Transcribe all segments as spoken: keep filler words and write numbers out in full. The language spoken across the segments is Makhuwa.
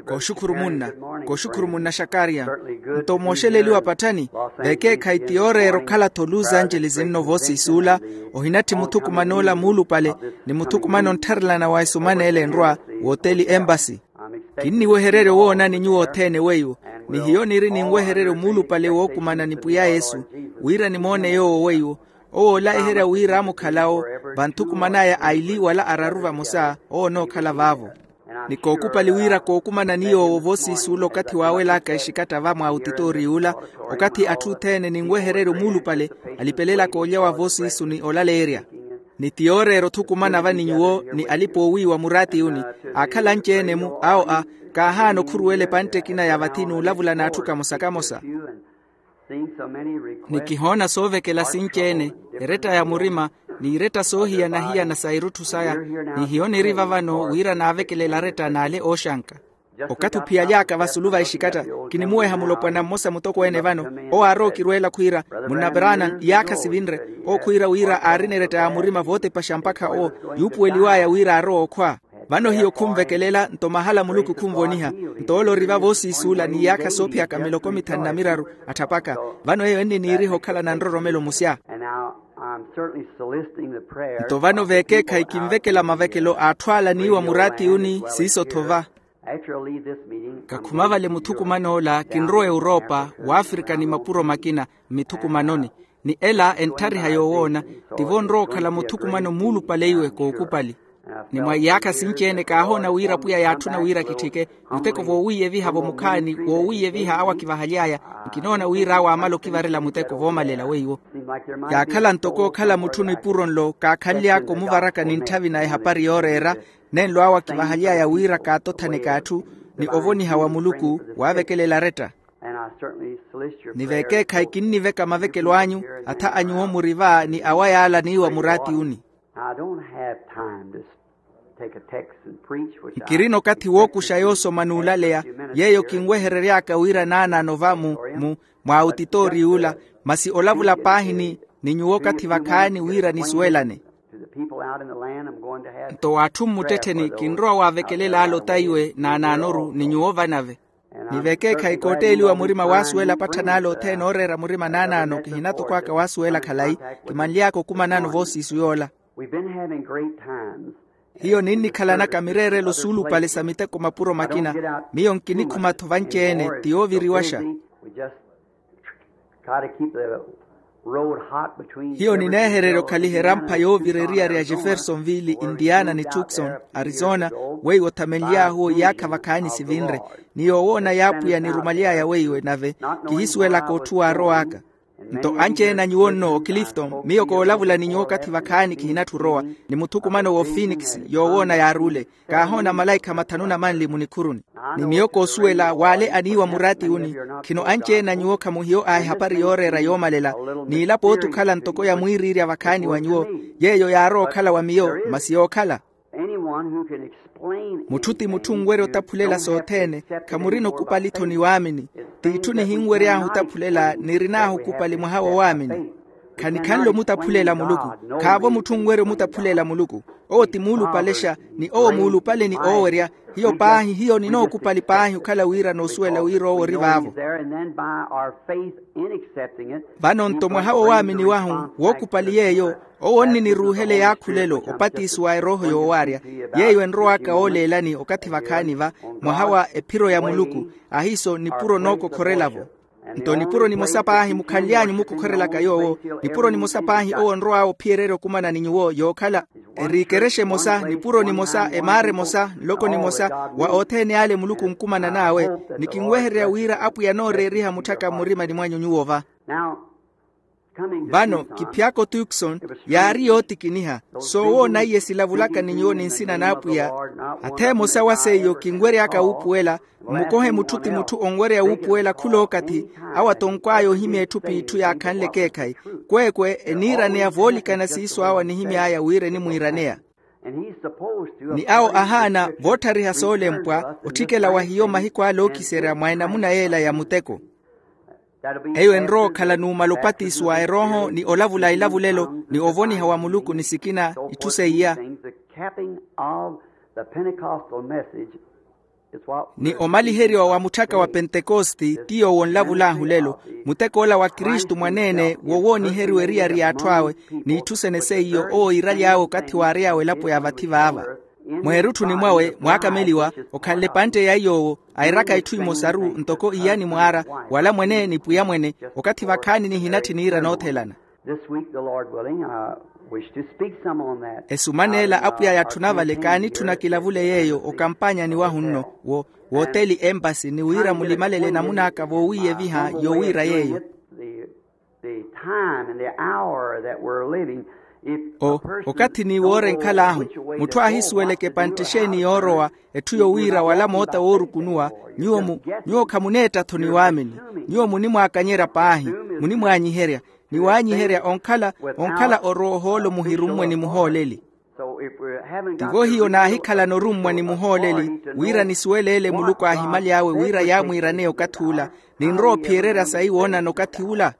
Kooxukhuru munna. Kooxukhuru munna xakariya. Nto mooxeleliwa patthani, vekeekhayi ti yooreera okhala-tho los angeles nno voosiisi ola, ohinatthi muthukumano ola muulupale, ni muthukumano onttharelana wa esumana ele enrwa, wooteli embasi. Kinniwehererya owoonani nyuwo othene weiwo, ni hiyo niri ninwehererya omuulupale wookumana ni pwiya yesu, wira nimoone yoowo weiwo. Owo oolaiherya wira amukhalawo, vanthukuman'aya aili wala araru vamosa, owo onookhala vaavo. Ni kookupali wira kookumana ni yoowo voosiisi ola okathi waawelaka exikatta va mwa otitooriyo ola, okathi atthu othene ninwehererya omuulupale, alipelelaka olya wa voosiisi ni olaleerya. Ni ti yooreera othukumana va ni nyuwo ni alipa oowiiwa muraatiyuni, aakhala anci-ene-mu awo a, kaahaana okhuruwela epantte ekina ya vathi n'ulavula n'atthu kamosa-kamosa. Ni kihoona soovekela sinci-ene, eretta ya murima, n'iretta soohiyana-hiyana sa irutthu saya. Ni hiyo niri vavano wira naavekelela aretta n'ale ooxanka. Okathi ophiyaly'aka vasulu va exikatta, kinimuweha mulopwana mmosa mutokweene vano, owo aarowa okirweela khwiira, munna branham, iyaakha sivinre. Owo khwiira wira aarina eretta ya murima vootepaxa mpakha owo, yuupuweliw'aya wira aarowa okhwa. Vano hiyo khunvekelela nto mahala muluku khunvoniha. Nto ole ori va voosiisi ola n'iyaakha soophiyaka miloko mithanu na miraru, atthapaka. Vano eyo enniniiriha okhalana nroromelo musya. Nto vano veekeekhayi kinvekela mavekelo a atthu ala aniiwa muraatiyuni siiso-tho va. Kakhuma vale muthukuman'ola kinrowa europa, w'afrika ni mapuro makina, mmithukumanoni. Ni ela entthariha yoowoona, tivo onrowa okhala muthukumano muulupale iwe kookupali. Ni mwa iyaakha sinci-ene kaahoona wira pwiya yaatthuna wira kitthike, muteko voowiiyeviha-vo mukhaani, voowiiyeviha awo akivahaly'aya. Nkinoona wira awo aamala okivarela muteko voomalela weiwo. Yaakhala ntoko okhala mutthu nipuro nlo kaakhanly'aka omuvaraka ni ntthavi na ehapari yooreera, nenlo awo akivahaly'aya wira kaatothaneke atthu, ni ovoniha wa muluku waavekelela aretta. Ni veekeekhayi kinniveka mavekelo anyu, atha a nyuwo muri va ni awa yaala aniiwa muraatiyuni. Nkirina okathi wookuxa yoosoma n'ulaleya, yeeyo kinweherery'aka wira naanaano va mu, mu, mwa otitooriyo ola, masi olavula paahi ni, ni nyuwo okathi vakhaani wira nisuwelane. Nto w'atthu mmuttettheni kinrowa waavekelela ale otaiwe naanaanoru ni nyuwo vanave. Ni veekeekhayi kootteeliwa murima waasuwela patthana ale othene ooreera murima naanaano kihina toko aka waasuwela khalayi. Kimanly'aka okumanano voosiisu yoola. Hiyo ninnikhalanaka mireerelo suulupale sa miteko mapuro makina. Miyo nkinikhuma-tho vanci-ene ti yooviriwaxa. Hiyo nineehererya okhaliha erampha yoovira eriyari ya jeffersonville indiana ni tucson arizona. Weiwo othamenly'ahu iyaakha vakhaani sivinre. Ni yoowoona y'apwiya nirumaly'aya weiwe nave kihisuwelaka otthu waarow'aka. Nto anci-ene a nyuwo nno oclifton miyo koolavula ni nyuwo okathi vakhaani kihinatthu orowa. Ni muthukumano w'ofinikisi yoowoona yaaruule. Kaahoona malaikha mathanu na manli munikhuruni. Ni miyo koosuwela w'ale aniiwa muraatiyuni. Khino anci-ene a nyuwo khamuhiyo a ehapari yooreera yoomalela. N'ilapo ooti okhala ntoko ya mwiiriirya vakhaani wa nyuwo. Yeeyo yaarowa okhala wa miyo masi yookhala. Mutthu ti mutthu onwerya otaphulela sothene. Khamurina okupali-tho ni waamini. T'itthu nihinwery'ahu otaphulela nirin'ahu okupali mwaha wa waamini. Khanikhanle omutaphulela muluku. Khaavo mutthu onwerya omutaphulela muluku. Owo ti muulupalexa. Ni owo muulupale ni oowerya. Hiyo paahi hiyo ninookupali paahi okhala wira noosuwela wira owo ori vaavo. Vano nto mwaha wa waamini wahu wookupali yeeyo. Owo onniniruuhela eyaakhulelo opatisiwa erooho yoowaarya. Yeeyo enrow'aka ooleelani okathi vakhaani va mwaha wa ephiro ya muluku. Ahiiso nipuro nookokhorela-vo. Nto nipuro nimosa paahi mukhanly'anyu mukokhorelaka yoowo. Nipuro nimosa paahi owo onrow'awe ophiyererya okumana ni nyuwo yookhala. Eri ekerexa emosa nipuro nimosa emaara emosa nloko nimosa wa othene ale muluku onkumanan'awe. Ni kinwehererya wira apwiya anooreeriha mutthaka mmurimani mwanyu nyuwo va. Vano kiphyaka otukson yaari yootikiniha. Soowoona iye silavulaka ni nyuwo ni nsina n'apwiya. Atha emosa wa seiyo kinwery'aka wuupuwela. Mmukohe mutthu ti mutthu onwerya wuupuwela khul'okathi. Awo atonkw'aya ohimya etthu p'itthu yaakhanle ekeekhayi. Kweekwe eniiraneya voolikana siiso awo anihimy'aya wira enimwiiraneya. Ni awo ahaana vootthariha soolempwa otthikela wa hiyo mahiku ale ookiserya mwa enamuna yeela ya muteko. Eyo enrowa okhala numala opatisiwa erooho ni olavula ilavulelo ni ovoniha wa muluku ni sikina itthu seiya. Ni omaliheriwa wa mutthaka wa pentekosti ti yoowo onlavulahu lelo, mutek'ola wa kristu mwaneene wo wooniheriwa eriyari y'atthu awe, n'itthu sene seiyo owo iiraly'awe okathi waary'awe elapo ya vathi vaava. Mweerutthuni mwawe mwaakameliwa, okhanle epantte ya iy'owo, airaka itthu imosaru ntoko iyani mwaara, wala mwene ni pwiya mwene, okathi vakhaani nihinatthi niira noothelana. This week, the Lord willing, I wish to speak some on that. Esumaneela apwiya yatthuna vale kaanitthuna kilavule yeeyo okampaanyani wahu nno, wo wooteli empasi ni wira mulimalele namun'aka voowiiyeviha yoowiira yeeyo. The, the time and the hour that we're living, if a o person okathi ni don't woora know enkhal'ahu, which way to mutthu go, what aahisuweleke to do, pantte or how exeeni to yoorowa, turn, etthu yowiira wala moota woorukunuwa, nyuwo mu nyuwo khamuneetta-tho ni waamini. Nyuwo munimwaakanyerya paahi, munimwaanyiherya, ni waanyiherya onkhala onkhala orowa ohoolo muhirummwe ni muhooleli. Tivo hiyo naahikhalana orummwa ni muhooleli wira nisuwele ele muluku aahimaly'awe wira yaamwiiraneya okathi ula, ninrowa ophiyererya sayi woonana okathi ula.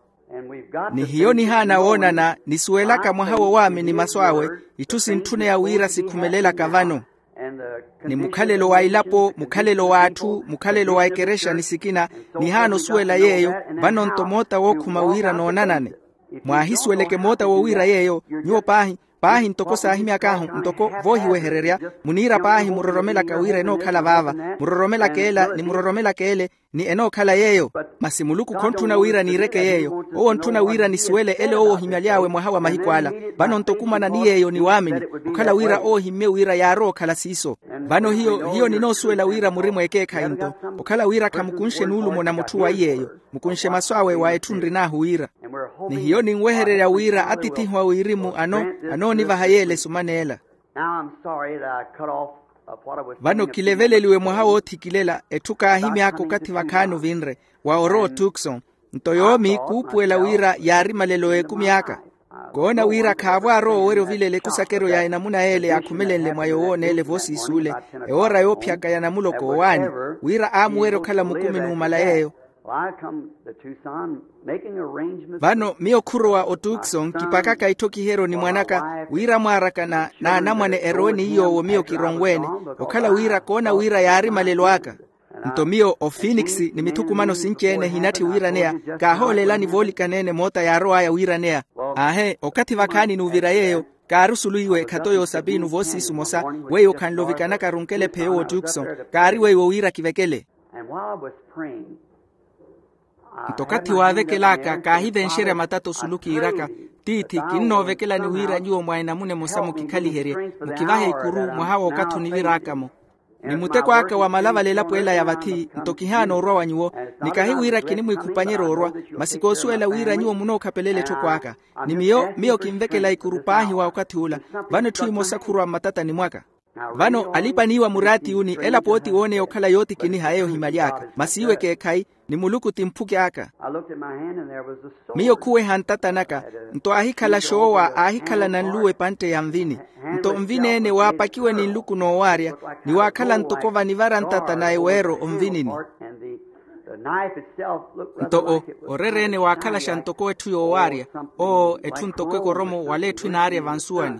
Ni hiyo nihaana woonana nisuwelaka mwaha wa waamini masu awe, itthu sintthuneya wira sikhumelelaka vano. Ni mukhalelo wa elapo, mukhalelo w'atthu, mukhalelo wa ekerexa ni sikina, nihaana osuwela yeeyo. Vano nto moota wookhuma wira noonanane. Mwaahisuweleke moota wowiira yeeyo. Nyuwo paahi, paahi ntoko saahimyak'ahu ntoko voohiwehererya, muniira paahi muroromelaka wira enookhala vaava, muroromelaka ela ni muroromelaka ele, ni enookhala yeeyo. Masi muluku khontthuna wira niireke yeeyo. Owo ontthuna wira nisuwele ele owo ohimaly'awe mwaha wa mahiku ala. Vano nto okumana ni yeeyo ni waamini, okhala wira owo ohimmye wira yaarowa okhala siiso. Vano hiyo hiyo ninoosuwela wira muri mweekeekhayi nto, okhala wira khamukunxe nuulumo na mutthu wa iy'eyo, mukunxe masu awe wa etthu nrin'ahu wira. Ni hiyo ninwehererya wira atithihu a wirimu ano anoonivaha yeela esumaneela. Now I'm sorry that I cut off, uh, what I was saying a few minutes ago. Vano kileveleliwe mwaha woothikillela etthu kaahimy'aka okathi vakhaani ovinre, wa orowa otukson. Nto yoomi kuupuwela wira yaari malelo y'ekumi aka. Koona wira khaavo arowa owerya ovilela ekusakeryo ya enamuna yeele yaakhumelenle mwa yowooneele voosiisi ole, ewoora yoophiyaka ya namuloko owaani, wira aamuwerya okhala mukumi numala yeeyo. Vano miyo khurowa otukson kipakaka itthokiheryo ni mwan'aka wira mwaaraka na anamwane erowe ni iy'owo miyo kironweene, okhala wira koona wira yaari malelo aka. Nto miyo ofinikisi ni mithukumano sinci-ene ehinatthi wiiraneya, kaahooleelani voolikaneene moota yaarow'aya wiiraneya. Aahe, okathi vakhaani nuuvira yeeyo, kaari osulu iwe ekhato y'osapinu voosiisi omosa, weiwo khanle ovikanaka runkele pheyo w'otukson, kaari weiwo wira kivekele. Nto okathi waavekel'aka kaahivenxerya matata osulu kiiraka, tiithi kinnoovekelani wira nyuwo mwa enamuna emosa mukikhaliherye, mukivahe ikuru mwaha w'okathi onivir'aka-mo. Ni muteko aka wa malavala elapo ela ya vathi nto kihaana orwa wa nyuwo, ni kahi wira kinimwiikhupanyerya orwa, masi koosuwela wira nyuwo munookhapelela etthoko aka. Ni miyo miyo kinvekela ikuru paahi wa okathi ula. Vano etthu emosa khurowa mmatatani mwaka. Vano alipa-niiwa muraati uni ela pooti wooneya okhala yootikiniha eyo ohimaly'aka masi iwe ekeekhayi, ni muluku ti mphuki aka. Miyo khuweha ntata naka, nto aahikhala xoowa aahikhalana nluwa epantte ya nvini. Nto nvini-ene waapakiwe ni nluku noowaarya, ni waakhala ntoko vanivara ntata na eweero onvinini. Nto o orer'ene waakhalaxa ntoko etthu yoowaarya, oo etthu ntoko ekoromo wala etthu enaarya vansuwani.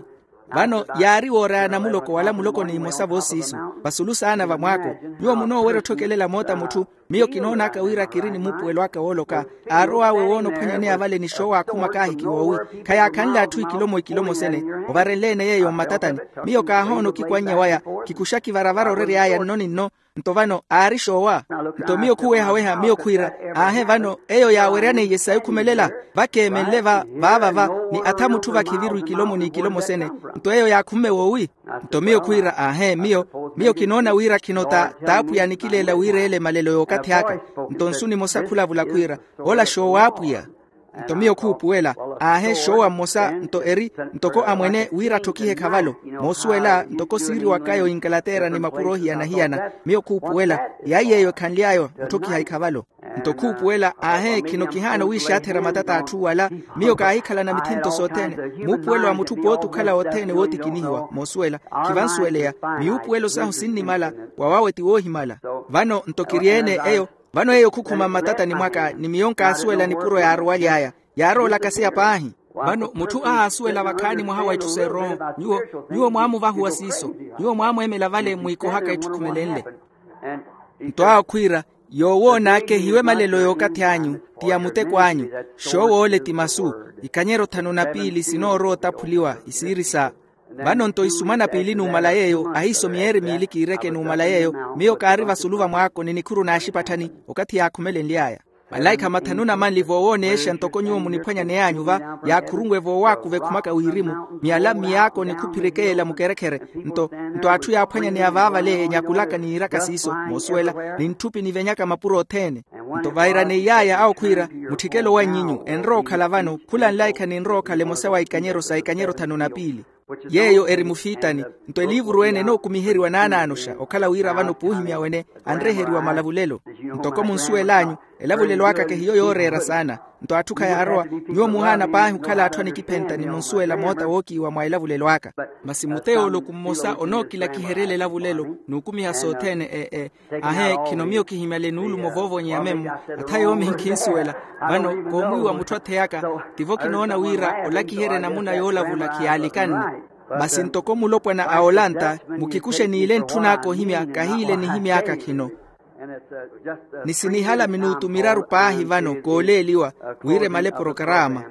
Vano yaari wooraya namuloko wala muloko ni imosa voosiisu, vasulu saana vamwaako. Nyuwo munoowerya otthokelela moota mutthu. Miyo kinoon'aka wira kiri ni muupuwelo aka wooloka, aarow'awe woona ophwanyaneya vale ni xoowa akhuma kaahiki woowi, khayaakhanle atthu ikilomo ikilomo sene. Ovarenle-ene yeeyo mmatatani. Miyo kaahoona okikwannya waya, kikuxaki varavara orery'aya nno ni nno. Nto vano aari xoowa. Nto miyo khuwehaweha miyo khwiira, aahe vano eyo yaaweryaneiye sayi okhumelela. Vakeemenle va vaava va, ni atha mutthu vakhiviru ikilomo n'ikilomo sene. Nto eyo yaakhumme woowi. Nto miyo khwiira aahe miyo, miyo kinoona wira khino ta t'apwiya anikileela wiireela emalelo y'okathi aka. Nto nsu nimosa khulavula khwiira, ola xoowa apwiya. Nto miyo khuupuwela, aahe xoowa mmosa nto eri, ntoko amwene wira atthokihe khavalo. Moosuwela ntoko siiriwakaya oinkalateera ni mapuro ohiyana-hiyana. Miyo khuupuwela, yaayi yeeyo ekhanly'aya otthokiha ikhavalo. Nto khuupuwela aahe khino kihaana owiixaatherya matata a atthu wala. Miyo kaahikhalana mithinto sothene. Muupuwelo wa mutthu pooti okhala othene wootikinihiwa moosuwela. Khivansuweleya, miyuupuwelo sahu sinnimala. Wawawe ti woohimala. Vano nto kiri-ene eyo. Vano eyo khukhuma mmatatani mwaka ni miyo nkaasuwela nipuro yaarowaly'aya. Yaarowa olakaseya paahi. Vano mutthu ahaasuwela vakhaani mwaha wa itthu s'eroho. Nyuwo nyuwo mwaamuvahuwa siiso. Nyuwo mwaamweemela vale mwiikohaka itthu khumelenle. Nto awo khwiira, yoowoon'aka ehiwe malelo y'okathi anyu, ti ya muteko anyu. Xoowoole ti masu. Ikanyero thanu na piili sinoorowa otaphuliwa isiiri sa. Vano nto isumana piili numala yeeyo ahiiso miyeeri miili kiireke numala yeeyo. Miyo kaari vasulu va mwaako ni nikhuru n'axipatthani. Okathi yaakhumelenly'aya, malaikha mathanu na manli voowoonexa ntoko nyuwo muniphwanyaney'anyu va, yaakhurunwe voowaakuva ekhumaka wirimu, miyala mmiyaako ni khuphirekeela mukerekhere. Nto nto atthu yaaphwanyaneya vaavale enyakulaka niiraka siiso moosuwela, ni ntthupi nivenyaka mapuro othene. Nto vairaneiy'aya awo khwiira, mutthikelo wa nnyinyu enrowa okhala vano khula nlaikha ninrowa okhala emosa wa ikanyero sa ikanyero thanu na piili. Yeeyo eri mufiitani. Nto eliivuru ene enookumiheriwa naanaanoxa okhala wira vano puuhimya wene anreheriwa malavulelo. Ntoko munsuwel'anyu, elavulelo aka kehiyo yooreera saana. Nto atthu khayaarowa. Nyuwo muhaana paahi okhala atthu anikiphenta ni munsuwela moota wookiiwa mwa elavulelo aka. Masi muteyooloku mmosa onookilakiheryela elavulelo n'ukumiha sothene e e. Ahe, khino miyo kihimyale nuulumo voovonyeya memmo. Atha yoomi nkhinsuwela. Vano koomwiiwa mutthu atheyaka, tivo kinoona wira olakiherya enamuna yoolavula khiyaalikanne. Masi ntoko mulopwana a olanta, mukikuxe niile ntthun'aka ohimya kahiile nihimy'aka khino. Ni sinihala minutu miraru paahi vano kooleeliwa wira emale porokaraama.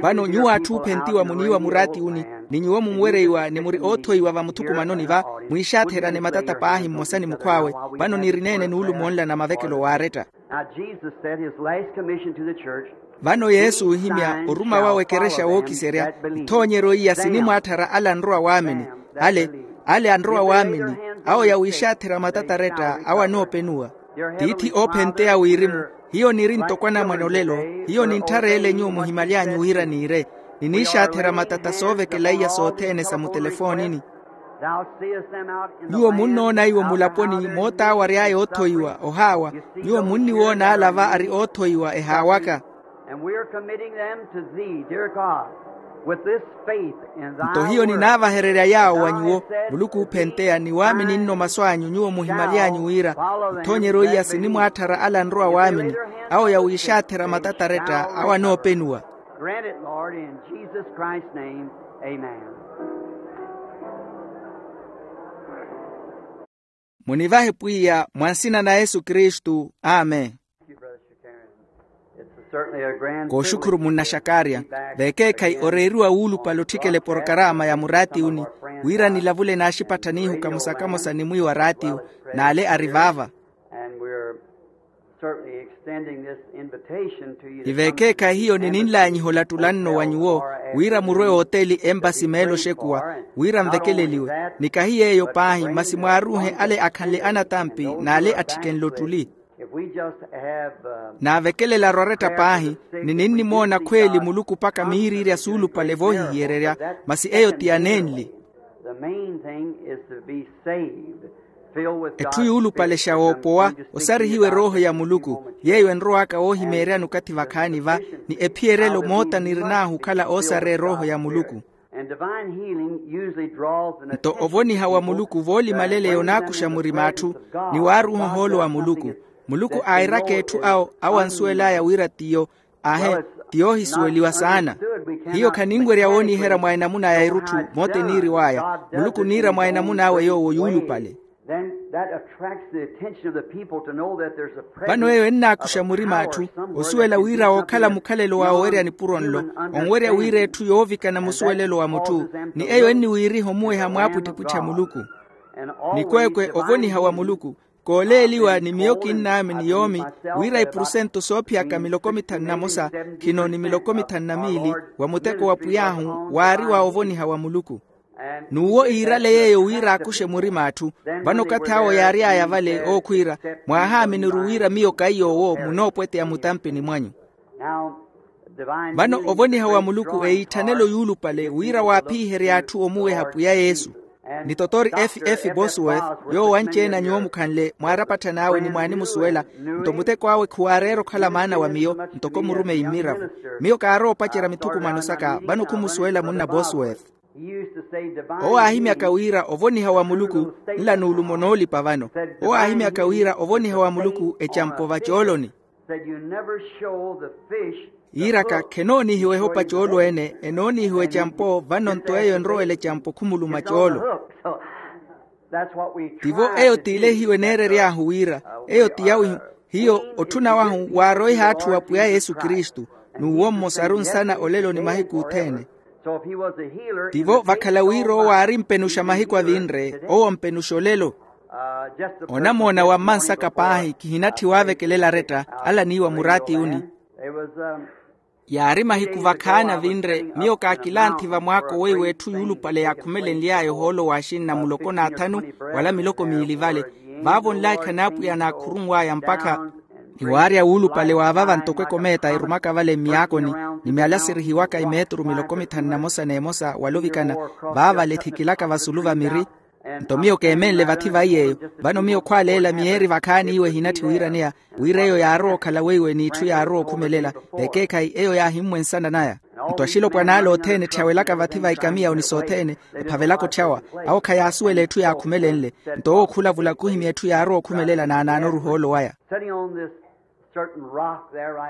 Vano nyuwo atthu oophentiwa muniiwa muraatiyuni, ni nyuwo munwereiwa ni muri oothoiwa vamuthukumanoni va, mwiixaatherane matata paahi mmosa ni mukhw'awe. Vano nirineene nuulumo nla na mavekelo waaretta. Now Jesus said his last commission to the church. Vano yesu oohimya oruma wawe ekerexa wookiserya, nthoonyeryo iya sinimwaatthara ale anrowa waamini. Ale ale anrowa waamini, awo yawiixaatherya matataretta awo anoopenuwa. Tiithi oophenteya wirimu, hiyo niri ntoko anamwane olelo. Hiyo nintthara ele nyuwo muhimaly'anyu wira niire. Niniixaatherya matata soovekela iya sothene sa mutelefoonini. Nyuwo munnoona iwo mulaponi mootaawary'aya oothoiwa ohaawa. Nyuwo munniwoona ala va ari oothoiwa ehaawaka. Nto hiyo ninaavahererya yaawo wa nyuwo, muluku oophenteya ni waamini nno masu anyu nyuwo muhimaly'anyu wira, nthoonyeryo iya sinimwaatthara ala anrowa waamini, awo yawiixaatthera matataretta awo anoopenuwa. Munivahe pwiya mwa nsina na yesu kristu. Amen. Kooxukhuru munna xakaria, vekeekhayi oreeriwa wuulupale otthikela eporokaraama ya muraatiyuni, wira nilavule n'axipatthani ihu kamosa kamosa ni mwiiwa raatiyu, n'ale ari vaava. Ni vekeekhayi hiyo nininlaanyiha olattula nno wa nyuwo, wira murwe ooteli empasi meelo oxekuwa, wira nvekeleliwe. Ni kahi yeeyo paahi masi mwaaruuhe ale akhanle anatampi n'ale atthikenle ottuli. Naavekelela arwaretta paahi, ni ninnimoona khweeli muluku mpakha miiriirya suulupale voohihiyererya. Masi eyo ti ya neenli. Etthu yuulupalexa woopowa, osarihiwe erooho ya muluku. Yeeyo enrow'aka woohimeeryani okathi vakhaani va, ni ephiyerelo moota nirin'ahu okhala oosareya erooho ya muluku. Nto ovoniha wa muluku voolimaleleya onaakuxa murima atthu, ni waaruuha ohoolo wa muluku. Muluku aairaka etthu awo awo ansuwel'aya wira tiyo. Ahe, ti yoohisuweliwa saana. Hiyo khaninwerya wooniherya mwa enamuna ya erutthu moota eniiriw'aya. Muluku oniira mwa enamuna awe yoowo yuulupale. Vano eyo ennaakuxa murima atthu osuwela wira wookhala mukhalelo wa owerya nipuro nlo, onwerya wira etthu yoovikana musuwelelo wa mutthu. Ni eyo enniwiiriha omuweha mwaapwittipwitthi a muluku. Nikweekwe ovoniha wa muluku. Kooleeliwa ni miyo kinnaamini yoomi, wira ipurusento soophiyaka miloko mithanu na mosa, khino ni miloko mithanu na miili, wa muteko wa pwiy'ahu waari wa ovoniha wa muluku. N'uwo iirale yeeyo wira aakuxe murima atthu. Vano okathi awo yaary'aya vale ookhwiira, mwaahaaminuru wira miyo kaiy'owo munoopweteya mutampini mwanyu. Vano ovoniha wa muluku eitthanelo yuulupale wira waaphiherye atthu omuweha pwiya yesu. Ni totori efi efi bosworth, yoowo anci-ene a nyuwo mukhanle mwaarapatthani awe ni mwaanimusuwela. Nto muteko awe khuwaareera okhala maana wa miyo, ntoko murumeyi mmiravo. Miyo kaarowa opacerya mithukumano saka vano khumusuwela munna bosworth. Owo aahimyaka wira ovoniha wa muluku nla nuulumo noolipa vano. Owo aahimyaka wira ovoniha wa muluku ecampo vacooloni. Yiiraka khenoonihiwa ehopa coolo ene enoonihiwa ecampo vano nto eyo enrowela ecampo khumuluma coolo. Tivo eyo t'ile hiyo eneerery'ahu wira eyo ti yawihu. Hiyo otthuna wahu waaroiha atthu wa pwiya yesu kristu, n'uwo mmosaru nsana olelo ni mahiku othene. Tivo vakhala wira owo aari mpenuxa mahiku avinre owo mpenuxa olelo. Onamoona wa mmansaka paahi kihinatthi waavekelela aretta ala niiwa muraatiyuni. Yaari mahiku vakhaani avinre miyo kaakilanthi vamwaako weiwo etthu yuulupale yaakhumelenly'aya ohoolo wa axinna muloko n'athanu wala miloko miili vale. Vaavo nlaikha n'apwiya naakhurunw'aya mpakha niwaarya wuulupale wa vava ntoko ekomeeta erumaka vale mmiyaakoni ni myala sirihiwaka emeeturu miloko mithanu na mosa n'emosa wala ovikana vaavale ethikilaka vasulu va miri. Nto miyo keemenle vathi vaiy'eyo. Vano miyo khwaaleela miyeeri vakhaani iwo ehinatthi wiiraneya wira eyo yaarowa okhala weiwe n'itthu yaarowa okhumelela. Ekeekhayi eyo yaahimmwensana naya. Nto axilopwan'ale othene etthiyawelaka vathi va ikamiya onisoothene ephavelaka otthyawa awo khayaasuwela etthu yaakhumelenle. Nto owo khulavula khuhimya etthu yaarowa okhumelela naanaanoru ohoolo waya.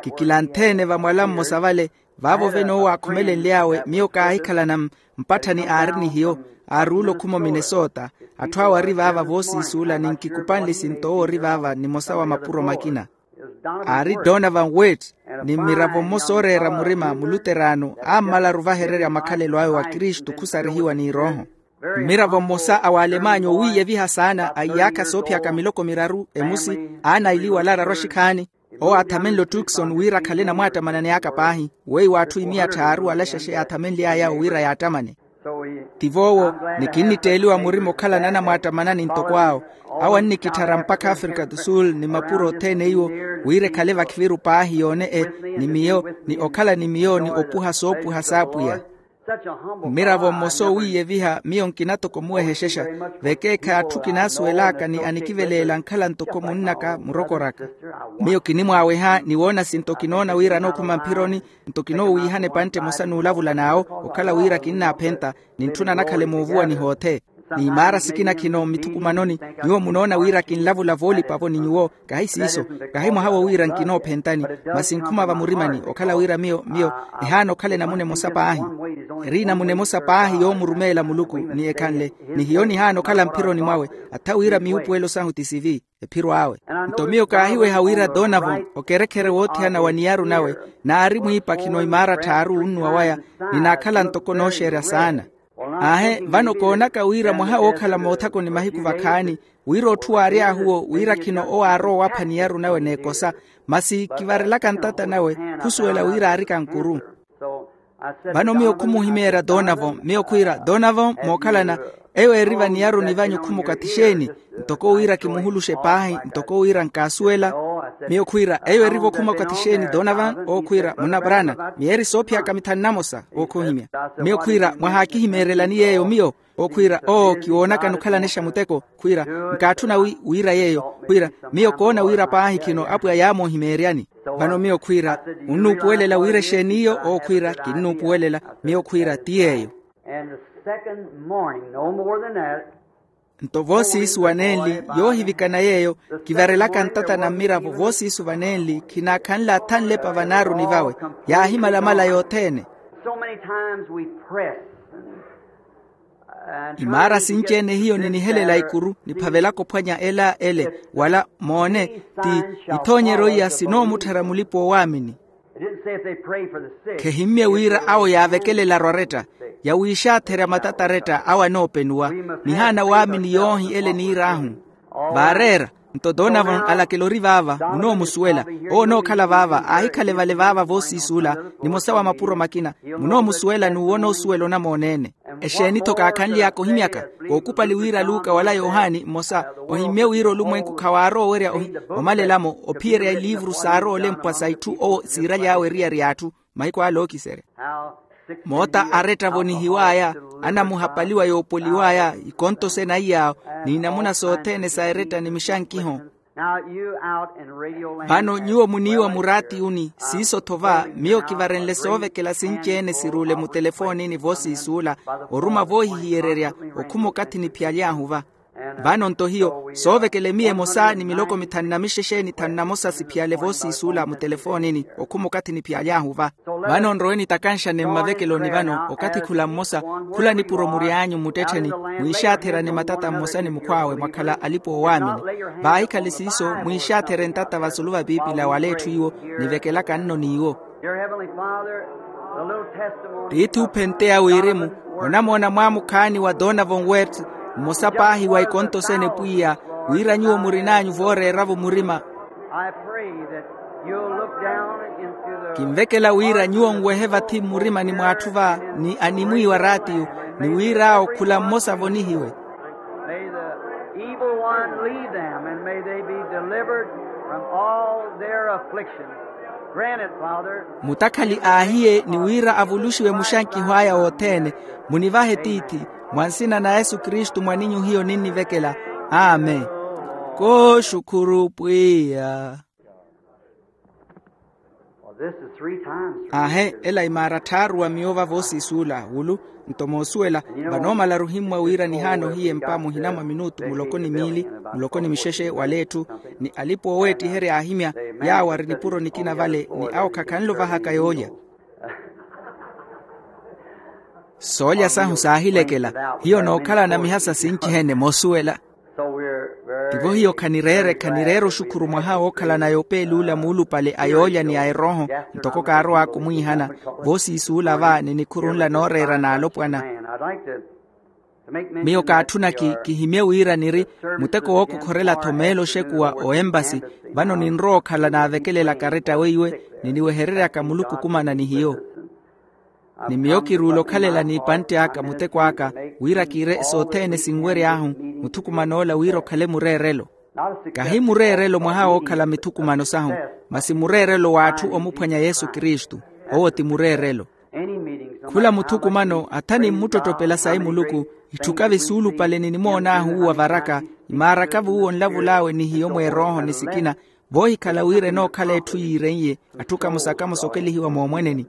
Kikilanthe-ene vamwala mmosa vale vaavo vene owo aakhumelenly'awe miyo kaahikhalana mpatthani aari ni hiyo. Aaruula okhuma ominesota atthu awo ari vaava voosiisuula ni nkikupanle esinto owo ori vaava nimosa wa mapuro makina. Aari donovan wet ni mmiravo mmosa ooreera murima muluteraano aammalaru ovahererya makhalelo awe wa kristu khusarihiwa ni rooho. Mmiravo mmosa a w'alemanya owiiyeviha saana a iyaakha soophiyaka miloko miraru emusi aanailiwa alaararwa axikhaani. Owo aathamenle otukson wira akhale namwaattamanani aka paahi weiwo atthu imiya tthaaru alaxaxe yaathamenly'aya awo wira yaattamane. Tivo owo ni kinnitteeliwa murima okhalana anamwaattamanani ntoko awo. Awo annikitthara mpakha afrika do sul ni mapuro othene iwo wira ekhale vakhiviru paahi yoone e ni miyo ni okhala ni miyo ni opuha soopuha s'apwiya. Mmiravo mmosa owiiyeviha miyo nkina toko omuwehexexa vekeekhayi atthu kinaasuwel'aka ni anikiveleela nkhala ntoko munn'aka murokor'aka. Miyo kinimwaaweha ni woona sinto kinoona wira anookhuma mphironi nto kinoowiihana epantte emosa n'ulavula n'awo okhala wira kinnaaphenta ni ntthuna nakhala emoovuwa ni hoothe. N'imaara sikina khino mmithukumanoni nyuwo munoona wira kinlavula voolipa-vo ni nyuwo. Kahi siiso kahi mwaha-wo wira nkinoophentani masi nkhuma vamurimani okhala wira miyo miyo nihaana okhala enamuna emosa paahi. Eri enamuna emosa paahi yoomurumeela muluku ni ekhanle ni hiyo nihaana okhala mphironi mwawe. Atha wira miwupuwelo sahu ti sivi ephiro awe. Nto miyo kaahiweha wira donovan okerekhere woothiyana wa niyaru nawe naari mwiipakhi no imaara tthaaru wunnuwa waya ninaakhala ntoko nooxeerya saana. Aahe vano koonaka wira mwaha wookhala moothakoni mahiku vakhaani wira otthu waary'ahu-wo wira khino owo aarowa owapha niyaru nawe n'ekosa masi kivarelaka ntata nawe khusuwela wira aarika nkuru. Vano miyo khumuhimeerya donovan miyo khwiira donovan mookhalana eyo eri vaniyaruni vanyu khuma okathi xeeni? Ntoko wira kimuhuluxe paahi ntoko wira nkaasuwela. Miyo khwiira eyo eri-vo khuma okathi xeeni donovan owo khwiira munna brana miyeeri soophiyaka mithanu namosa owo khoohimya. Miyo khwiira mwahaakihimeerelani yeeyo miyo owo khwiira oo kiwoonakani okhalana examuteko khwiira nkaatthuna wi wiira yeeyo khwiira miyo koona wira paahi khino apwiya yaamoohimeeryani. Vano miyo khwiira munnuupuwelela wira exeeni iyo owo khwiira kinnuupuwelela. Miyo khwiira ti yeeyo. And the second morning no more than that. Nto voosiisu vanenli yoohivikana yeeyo kivarelaka ntata na mmiravo voosiisu vanenli khinaakhanle athanlepa vanaaruni vawe yaahimalamala yothene. So many times we press imaara sinci-ene hiyo ninihelela ikuru niphavelaka ophwanya ela ele wala moone ti ithoonyeryo iya sinoomutthara mulipa-oowaamini. Khehimmye wira awo yaavekelelaru aretta yawiixaatherya matata aretta awo anoopenuwa nihaana waamini yoohi ele niir'ahu. Vaareera nto donovan alakela ori vaava munoomusuwela owo onookhala vaava aahikhale vale vaava voosiisuula nimosa wa mapuro makina munoomusuwela n'uwo onoosuwela onamoona-ene. Exeeni-tho kaakhanly'aka ohimyaka kookupali wira luka wala yohani mmosa ohimmye wira olumwenku khawaarowa owerya omalelamo ophiyerya iliivuru saarowa olempwa sa itthu owo siiraly'awe eriyari y'atthu mahiku ale ookiserya. Moota aretta vonihiw'aya anamuhapaliwa yoopoliw'aya ikonto sena iy'awo n'inamuna sothene sa eretta ni mixankiho. Vano nyuwo muniiwa muraatiyuni siiso-tho va miyo kivarenle soovekela sinci-ene siruule mutelefoonini voosiisuula oruma voohihiyererya okhuma okathi niphiyaly'ahu va. Vano nto hiyo soovekela emiya emosa ni miloko mithanu na mixexe ni thanu na mosa siphiyale voosiisuula mutelefoonini okhuma okathi niphiyaly'ahu va. Vano nrowe nitakanxane mmavekeloni vano okathi khula mmosa khula nipuro mury'anyu mmuttettheni mwiixaatherane matata mmosa ni mukhw'awe mwakhala alipa oowaamini. Vaahikhale siiso mwiixaathere ntata vasulu vapiipila wala etthu iwo nivekelaka nno n'iwo. Tiithi uphenteya wirimu onamoona mwaamukhaani wa donovan wert mmosa paahi wa ikontosene pwiya wira nyuwo murin'anyu vooreera-vo murima. Kinvekela wira nyuwo nwehe vathi mmurimani mw'atthu va ni animwiiwa raatiyo ni wir'awo khula mmosa avonihiwe. May the evil one leave them, and may they be delivered from all their afflictions. Grant it, Father. Mutakhali aahiye ni wira avuluxiwe muxankiho aya wothene. Munivahe tiithi mwa nsina na yesu kristu mwaninyu hiyo ninnivekela. Amen. Kooxukhuru pwiya. Aahe ela imaara tthaaru wa miyo va voosiisuula wulu. Nto moosuwela vanoomala ruhimmwa wira nihaana ohiya empa muhina mwa minutu muloko ni miili muloko ni mixexe wala etthu ni alipa ooweettiherya aahimya yaawo ari nipuro nikina vale ni awo khakhanle ovahaka yoolya. Soolya sahu saahilekela hiyo nookhalana mihasa sinci-ene moosuwela. Tivo hiyo khanireere khanireere oxukhuru mwaha wookhalanaya opeeluula muulupale a yoolya ni a erooho ntoko kaarow'aka omwiihana voosiisuula va ni nikhuru nla nooreera n'alopwana. Miyo kaatthuna kihimye wira niri muteko wookokhorela-tho meelo oxekuwa o empasi vano ninrowa okhala naavekelela karetta weiwe niniwehereryaka muluku okumana ni hiyo. Ni miyo kiruula okhalela n'ipantte aka muteko aka wira kiire sothene sinwery'ahu muthukuman'ola wira okhale mureerelo. Kahi mureerelo mwaha wookhala mithukumano sahu masi mureerelo w'atthu omuphwanya yesu kristu. Owo ti mureerelo. Khula muthukumano atha nimmuttottopela sayi muluku itthukavi suulupale ninimoon'ahu uwo avaraka imaarakavi uwo onlavul'awe ni hiyo mweerooho ni sikina voohikhala wira enookhala etthu yiireiye. Atthu kamosa kamosa okelihiwa moomweneni.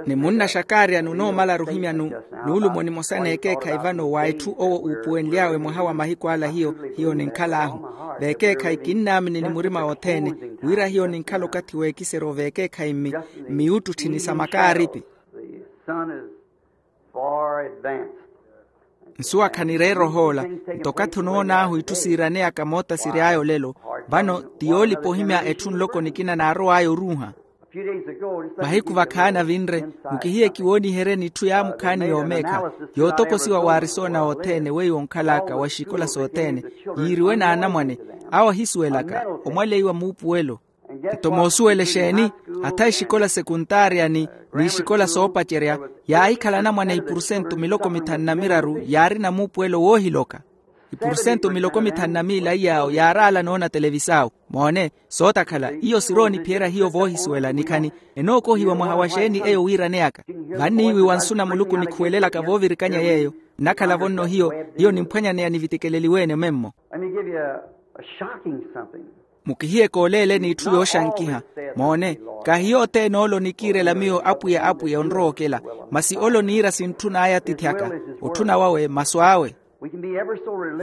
Ni munna xakaariyani onoomala ruhimyanu nuulumo nimosa n'ekeekhayi vano wa etthu owo uupuwenly'awe mwaha wa mahiku ala hiyo hiyo ninkhal'ahu. V'ekeekhayi kinnaamini ni murima wothene wira hiyo ninkhala okathi w'ekiseryo v'ekeekhayi mmiyuttutthini sa makaaripi. Nsuwa khanireera ohoola nto okathi onoon'ahu itthu siiraneyaka moota siry'aya olelo. Vano ti yoolipa ohimya etthu nloko nikina naarow'aya oruuha. Mahiku vakhaani avinre mukihiye kiwooniheryeni itthu yaamukhaani yoomeekha yootokosiwa w'arisona othene weiwo onkhal'aka wa exikola sothene yiiriwe n'anamwane awo ahisuwelaka omwaleiwa muupuwelo. Nto moosuwela exeeni atha exikola sekuntaariyani n'ixikola soopacerya yaahikhala anamwane ipursentu miloko mithanu na miraru yaarina muupuwelo woohiloka. Ipursentu miloko mithanu na miila iy'awo yaaraala noona televisao. Moone sootakhala iyo sirooniphiyerya hiyo voohisuwela nikhani enookohiwa mwaha wa xeeni eyo wiiraneyaka. Vanniiwiwa nsu na muluku nikhuwelelaka voovirikanya yeeyo nnakhala-vo nno hiyo hiyo nimphwanyaneya nivitikeleliwe-ene memmo. Mukihiye kooleeleni itthu yooxankiha. Moone kahi yothene ole onikiirela miyo apwiya apwiya onrowa okela masi ole oniira sintthun'aya atithyaka otthuna wawe masu awe.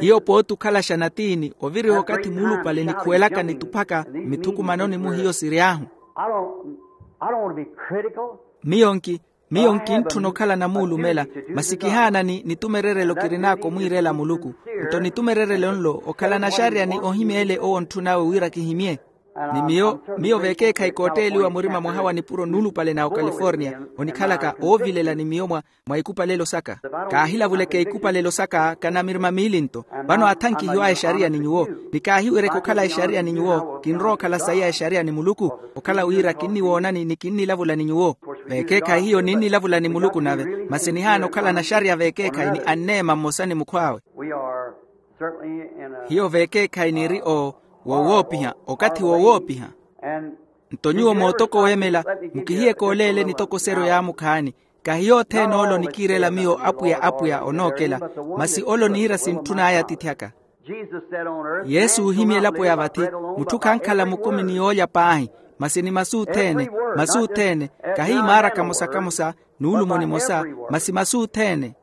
Hiyo pooti okhalaxa natiini oviriha okathi muulupale nikhuwelaka nituphaka mmithukumanoni-mu hiyo siry'ahu. Miyo nki miyo nkintthuna okhala namuulumela masi kihaanani nitumererelo kirin'aka omwiirela muluku. Nto nitumererelo nlo okhala naxariyani ohimya ele owo ontthun'awe wira kihimye. Ni miyo miyo v'ekeekhayi kootteeliwa murima mwaha wa nipuro nuulupale na okaliforniya onikhalaka oovilela ni miyo mwa mwa ikupalelo saka. Kaahilavuleke ikupalelo saka kana mirima miili nto. Vano athankihiw'aya exariya ni nyuwo ni kaahiwereke okhala exariya ni nyuwo kinrowa okhala sayi a exariya ni muluku. Okhala wira kinniwoonani ni kinnilavula ni nyuwo. V'ekeekhayi hiyo ninnilavula ni muluku nave masi nihaana okhala naxariya v'ekeekhayi ni anneema mmosa ni mukhw'awe. Hiyo v'ekeekhayi niri o wowoopiha okathi wowoopiha. Nto nyuwo mootoko weemela mukihiye kooleele nitokoseryo yaamukhaani. Kahi yothene ole onikiirela miyo apwiya apwiya onookela masi ole oniira sintthun'aya atithyaka. Yesu oohimya elapo ya vathi mutthu khankhala mukumi ni yoolya paahi masi ni masu othene masu othene kahi imaara kamosa kamosa nuulumo nimosa masi masu othene.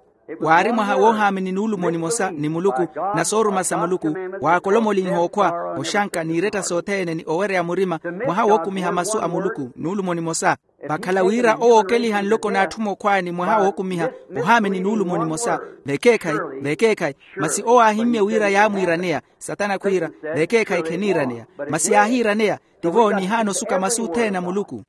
Waari mwaha woohaamini nuulumo nimosa ni muluku, na sooruma sa muluku, waakolomolinha okhwa, oxanka n'iretta sothene ni owereya murima, mwaha wookumiha masu a muluku nuulumo nimosa. Vakhala wira owookeliha nloko n'atthu mookhwaani mwaha wookumiha, ohaamini nuulumo nimosa. Vekeekhayi, vekeekhayi. Masi owo aahimmye wira yaamwiiraneya. Satana khwiira, vekeekhayi kheniiraneya. Masi yaahiiraneya. Tivo nihaana osuka masu othene a muluku.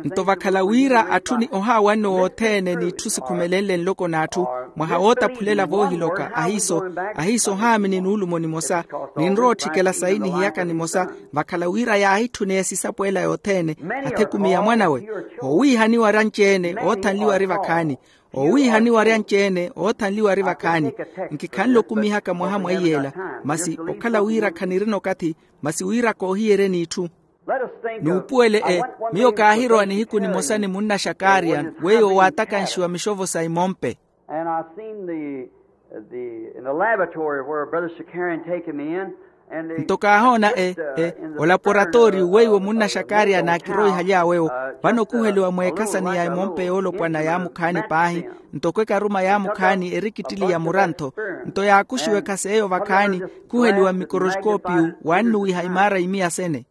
Nto vakhala wira atthu ni ohaawanno wothene n'itthu sikhumelenle nloko n'atthu, mwaha wootaphulela voohiloka ahiiso, ahiiso ohaamini nuulumo nimosa, ninrowa otthikela sayi nihiyaka nimosa. Vakhala wira yaahitthune esisapo ela yothene, atha ekumi ya mwanawe. Owiihaniwa ari anci-ene oothanliwa ari vakhaani. Owiihaniwa ari anci-ene oothanliwa ari vakhaani. Nkikhanle okumihaka mwaha mweiyela, masi okhala wira khanirina okathi, masi wira koohiyeryeni itthu. Nuupuwele e, miyo kaahirowa nihiku nimosa ni munna xakariya, weiwo waatakanshiwa mixovo sa imompe. And I seen the, the, in the laboratory where Brother Shakarian taken me in, and they nto kaahoona e, e, olaporatooriyu weiwo munna xakariya naakiroihaly'awewo. Vano okuheliwa mweekhasani ya emompe yoolopwana yaamukhaani paahi, ntoko ekaruma yaamukhaani eri kittili ya murantho. Nto yaakuxiwekha s'eyo vakhaani, khuheliwa mmikoroxikoopiyu, wannuwiha imaara imiya sene.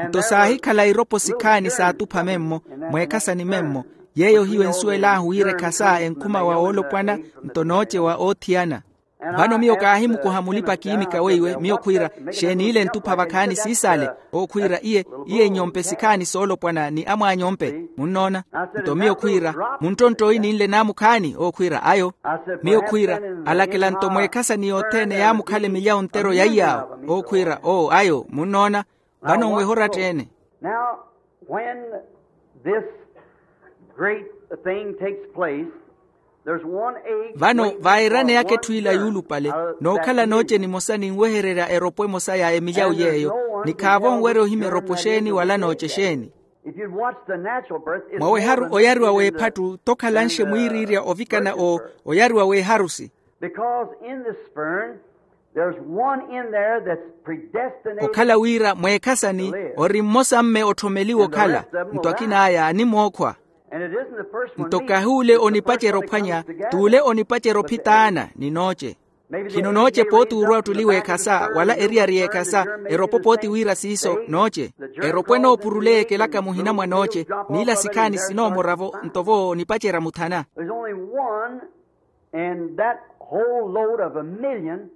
Nto saahikhala iropo sikhaani saatupha memmo, mweekhasani memmo. Yeeyo hiyo ensuwel'ahu wira ekhasa enkhuma wa woolopwana, nto noocewa oothiyana. Vano miyo kaahimukoha mulipa-kiimika weiwe, miyo khwiira, xeeni ile entupha vakhaani siisaale? Owo khwiira, iye, iye nyompe sikhaani soolopwana ni amwaanyompe. Munnoona? Nto miyo khwiira, munttonttoyi ninle naamukhaani? Owo khwiira, ayo. Miyo khwiira, alakela nto mweekhasani yothene yaamukhala emilyawu ntero yaiy'awo. Owo khwiira, oo ayo. Munnoona? Vano nweha oratta-ene. Now, when this great thing takes place, there's one age. Vano vaayiraneyaka etthu ila yuulupale, nookhala nooce nimosa ninwehererya eropo emosa ya emilyawu yeeyo. Ni khaavo onwerya ohimya eropo xeeni wala nooce xeeni. If you'd watch the natural birth, it's mwaweharu more than oyariwa weephattu tokhalanxe mwiiriirya ovikana o oyariwa weeharusi. Because in the sperm, there's one in there that's predestinated. Okhala wira mweekhasani ori mmosa mme otthomeliwe okhala, nto akin'aya animookhwa. And it isn't the first one. Nto kahi ole onipacerya ophwanya, t'ule onipacerya ophitaana ni nooce. Khino nooce pooti urwa ottuli w'ekhasa wala eriyari y'ekhasa, eropo pooti wira siiso nooce. Eropo enoopuruleya ekelaka muhina mwa nooce, n'ila sikhaani sinoomoravo nto vo onipacerya muthana. There's only one. And that whole load of a million.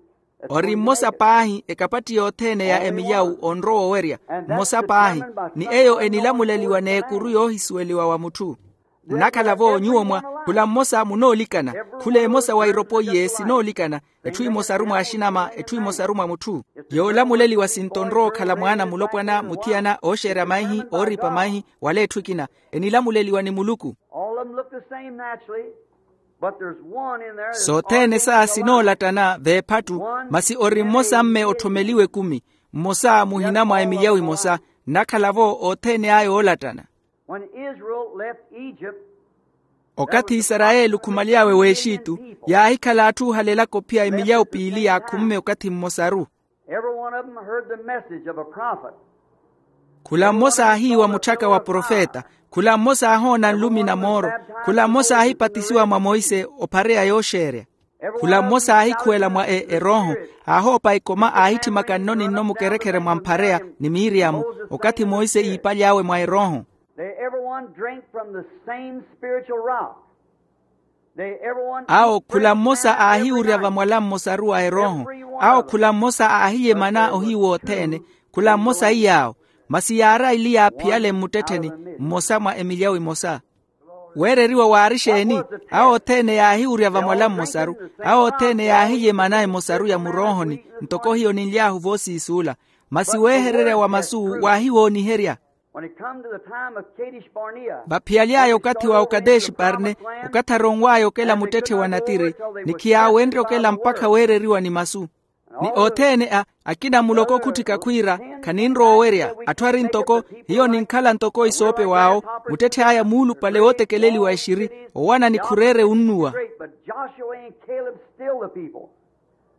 Ori mmosa paahi ekapatti yothene ya emilyawu onrowa owerya. Mmosa paahi. Ni eyo enilamuleliwa n'ekuru yoohisuweliwa wa mutthu. Nnakhala-vo nyuwo mwa khula mmosa munoolikana. Khula emosa wa iropo iye sinoolikana. Etthu emosaru mwa axinama, etthu emosaru mwa mutthu. Yoolamuleliwa sinto onrowa okhala mwaana mulopwana, muthiyana, ooxeerya maihi, ooripa maihi, wala etthu ekina. Enilamuleliwa ni muluku. All of them look the same naturally. Sothene sa sinoolattana veephattu, masi ori mmosa mme otthomeliwe ekumi. Mmosa muhina mwa emilyawu emosa. Nnakhala-vo othene aya oolattana. Okathi isarayeli okhumaly'awe w'exitu, yaahikhala atthu ohalelaka ophiya emilyawu piili yaakhumme okathi mmosaru. Khula mmosa aahiiwa mutthaka wa profeta. Khula mmosa aahoona nlumi na mooro. Khula mmosa aahipatisiwa mwa monse ophareya yooxeerya. Khula mmosa aahikhuwela mwa erooho. Aahoopa ekoma aahitthimaka nno ni nno mukerekhere mwa mphareya ni miriyamu, okathi monse iipaly'awe mwa erooho. Awo khula mmosa aahiwurya vamwala mmosaru wa erooho. Awo khula mmosa aahiyemana ohiyu wothene. Khula mmosa iy'awo. Masi yaari aili yaaphiyale mmuttettheni, mmosa mwa emilyawu emosa. Weereriwa waari xeeni? Awo othene yaahiwurya vamwala mmosaru. Awo othene yaahiyemana emosaru ya muroohoni. Ntoko hiyo ninly'ahu voosiisuula. Masi weehererya wa masu waahiwooniherya. Vaphiyaly'aya okathi wa okadeshi parne, okathi aronw'aya okela muttetthe wa natiri, ni khiyaawenrye okela mpakha weereriwa ni masu. Ni othene a akina muloko okhutthika khwiira, khaninrowa owerya. Atthu ari ntoko, hiyo ninkhala ntoko isoopew'awo. Muttetthe aya muulupale wootekeleliwa exiri, owana ni khureere unnuwa.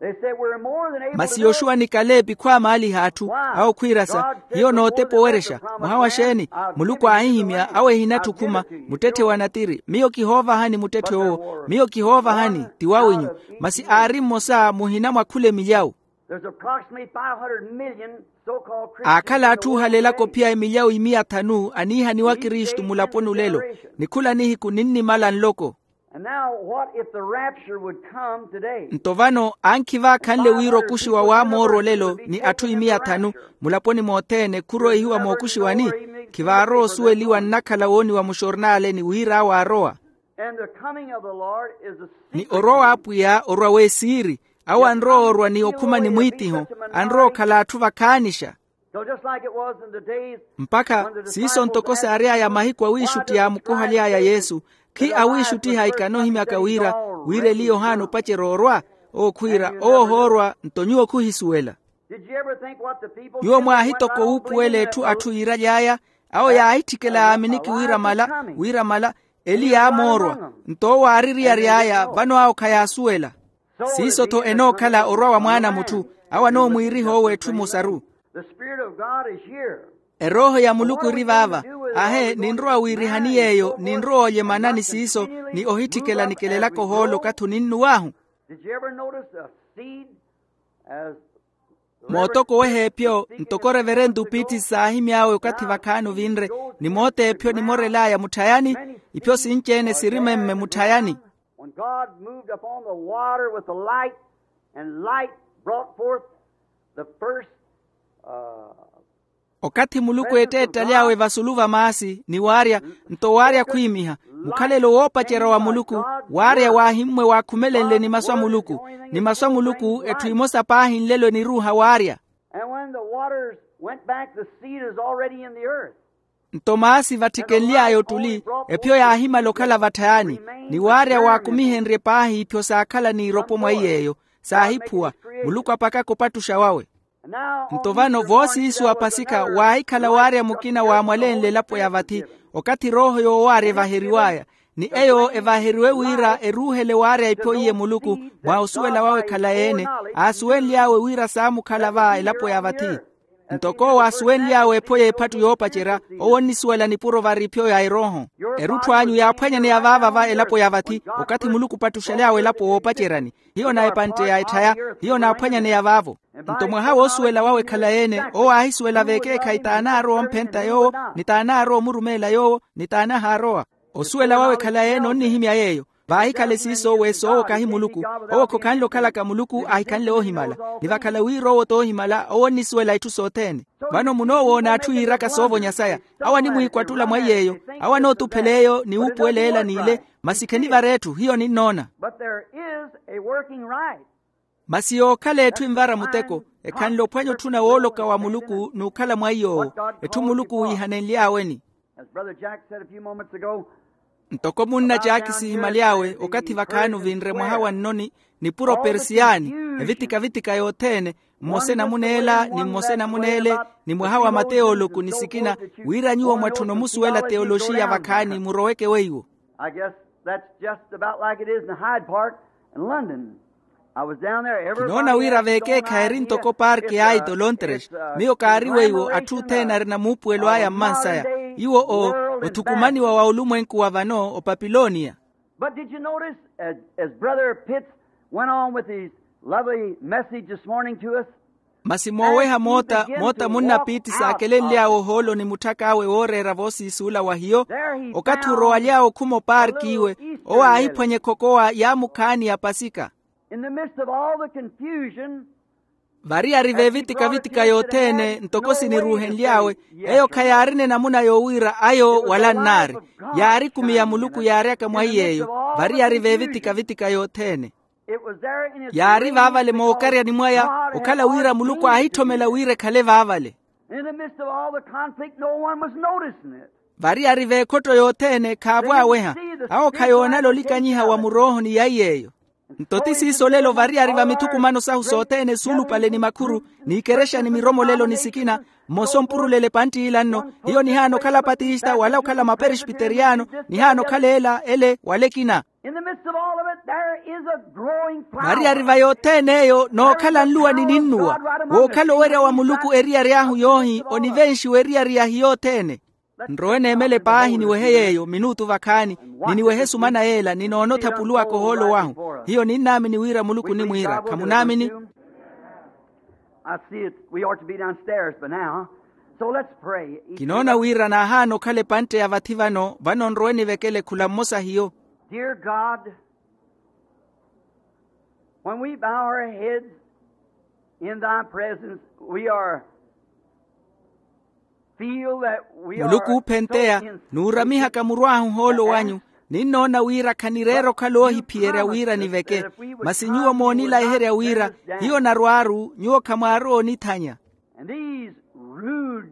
They said, "We're more than able to do it." Masi yoxuwa ni kaleepi khwaamaaliha atthu. Awo khwiirasa hiyo nootepa owerexa. Mwaha wa xeeni? Muluku aahihimya awo ehinatthi okhuma muttetthe wa natiri. Miyo kihoovahani muttetthe owo, miyo kihoovahani, ti wawinyu. Masi aari mmosa muhina mwa khula emilyawu. There's approximately five hundred million so-called Christians. Aakhala atthu ohalelaka ophiya emilyawu imiya thanu aniihaniwa kristu mulaponi olelo. Ni khula nihiku ninnimala nloko. And now what if the rapture would come today? Nto vano ankhi vaakhanle wira okuxiwa waamoorwa olelo ni atthu imiya thanu mulaponi mothene khuroihiwa mookuxiwani? Khivaarowa osuweliwa nnakhala wooniwa muxornaaleni wira awo aarowa. And the coming of the Lord is a secret. Ni orwa w'apwiya orwa w'esiiri. Awo anrowa orwa ni okhuma ni mwiitiho. Anrowa okhala atthu vakhaanixa. So just like it was in the days mpakha siiso ntoko saary'aya mahiku awiixuttiha mukuhaly'aya yesu. Khi awiixuttiha ikana ohimyaka wira wira eli yohana opacerya orwa. Ookhwiira owo ohoorwa nto nyuwo khuhisuwela. Did you ever think what the people nyuwo did when they mwahitoko got home wuupuwela believing etthu that atthu yiiraly'aya. Awo yaahitthikela yaaminiki wiiramala wiiramala eli yaamoorwa. Nto owo aaririyary'aya vano awo khayaasuwela. Siiso-tho enookhala orwa wa mwaana a mutthu. Awo anoomwiiriha owo etthu emosaru. The Spirit of God is here. Erooho ya muluku eri vaava. Ahe ninrowa wiirihani yeeyo ninrowa olyemana ni siiso ni ohitthikela ni kaleelaka ohoolo okathi oninnuw'ahu. Did you ever notice a seed as mootoko weha epyo ntoko reverento pitti saahimy'awe okathi vakhaani ovinre ni moota epyo nimorel'aya mutthayani. Ipyo sinci-ene siri memme mutthayani. When God moved upon the water with the light, and light brought forth the first, uh, okathi muluku eetteettaly'awe vasulu va maasi ni waarya nto waarya khwiimiha mukhalelo woopacerya wa muluku. Waarya waahimmwe waakhumelenle ni masu a muluku ni masu a muluku etthu emosa paahi nlelo eniruuha waarya. And when the waters went back, the seed is already in the earth. Nto maasi vattikenly'aya ottuli epyo yaahimala okhala vatthayani. Ni waarya waakumihenrye paahi ipyo saakhala n'iropo mwa iy'eyo saahiphuwa. Muluku apakaka opattuxa wawe. Nto vano voosiisu a pasikha waahikhala waarya mukina waamwalenle elapo ya vathi okathi erooho yoowaarya evaheriw'aya. Ni eyo evaheriwe wira eruuhele waarya ipyo iye muluku mwa osuwela wawe ekhalayi-ene. Aasuwenly'awe wira saamukhala va elapo ya vathi. Ntoko owo aasuwenly'awe epho y'ephattu yoopacerya owo onnisuwela nipuro vari ipyo ya erooho. Erutthu anyu yaaphwanyaneya vaava va elapo ya vathi okathi muluku opattuxaly'awe elapo woopaceryani. Hiyo na epantte ya etthaya hiyo naaphwanyaneya vaavo. Nto mwaha woosuwela wawe ekhalayi-ene owo aahisuwela veekeekhayi t'anaarowa omphenta yoowo ni t'anaarowa omurumeela yoowo ni t'anahaarowa. Osuwela wawe ekhalayi-ene onnihimya yeeyo. Vaahikhale siiso weesi owo kahi muluku. Owo khokhanle okhalaka muluku ahikhanle oohimala. Ni vakhala wira owo t'oohimala owo onnisuwela itthu sothene. Vano munoowoona atthu yiiraka soovonya saya. Awo animwiikwattula mwa iy'eyo. Awo anootuphela eyo ni wuupuwela ela n'ile. Masi khenivara etthu hiyo ninnoona. But there is a working right. Masi yookhala etthu envara muteko ekhanle ophwanya otthuna wooloka wa muluku n'ukhala mwa iy'owo. Etthu muluku wiihanenly'aweni. As Brother Jack said a few moments ago, ntoko munna jaaki sihimaly'awe okathi vakhaani ovinre mwaha wa nnoni nipuro persiyaani evitika-vitika yothene mmosa enamuneela ni mmosa enamuneele ni mwaha wa mateoloku ni sikina wira nyuwo mwatthuna omusuwela teoloxiya vakhaani muroweke weiwo. I guess that's just about like it is in Hyde Park in London. I was down there. Kinoona wira veekeekhayi eri ntoko parki y'aito lontres. Miyo kaari weiwo atthu othene arina muupuwelo aya mmansaya. Iwo o othukumaniwa wa olumwenku wa vano opapiloniya. But did you notice as, as Brother Pitts went on with his lovely message this morning to us? Masi mooweha moota moota munna piitti saakelenly'awe ohoolo ni mutthak'awe wooreera voosiisuula wa hiyo. Okathi orowalyawe okhuma opaarki iwe owo aahiphwanya ekhokowa yaamukhaani ya pasika. In the midst of all the confusion, vari yari veevitika-vitika yothene ntoko siniruuhenly'awe. Eyo khayaarina enamuna yoowiira ayo wala nnaari. Yaari ekumi ya muluku yaaryaka mwa iy'eyo. Vari yari veevitika-vitika yothene. Yaari vaavale mookaryani mwaya okhala wira muluku aahitthomela wira ekhale vaavale. In the midst of all the conflict no one was noticing it. Vari yari veekhotto yothene khaavo aweha. Awo khayoonala olikanyiha wa muroohoni ya iy'eyo. Nto ti siiso lelo variyari va mithukumano sahu sothene suulupale ni makhuru, n'ikerexa ni miromolelo ni sikina. Mmosa ompurulele pantt'ila nno, hiyo nihaana okhala patista wala okhala maperespiteriyano. Nihaana okhala ela ele wala ekina. Variyari va yothene eyo nookhala nluwa ni ninnuwa, wookhala owerya wa muluku eriyari ahu yoohi onivenxiwa eriyari yahi yothene. Nrowe neemele paahi niwehe yeeyo minuutu vakhaani, ni niwehe esumana yeela ni noona othapuluwaka ohoolo wahu. Hiyo ninnaamini wira muluku onimwiira khamunaamini. I see it. We ought to be downstairs by now. So let's pray. Kinoona wira naahaana okhala epantte ya vathi vano vano nrowe nivekele khula mmosa hiyo. Dear God, when we bow our heads in thy presence, we are feel that we are muluku oophenteya, nuuramihaka muru ahu ohoolo wanyu, ninnoona wira khanireera okhala oohiphiyerya wira niveke. Masi nyuwo moonilayiherya wira hiyo narwaaru nyuwo khamwaarowa onithanya. And these rude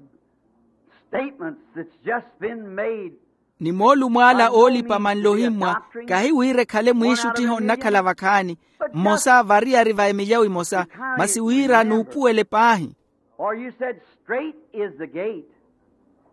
statements that's just been made. Ni moolumo ala oolipa manlo ohimmwa, kahi wira ekhale mwiixuttiho nnakhala vakhaani. Mmosa variyari va emilyawo emosa, masi wira nuupuwele paahi. For you said, "Strait is the gate,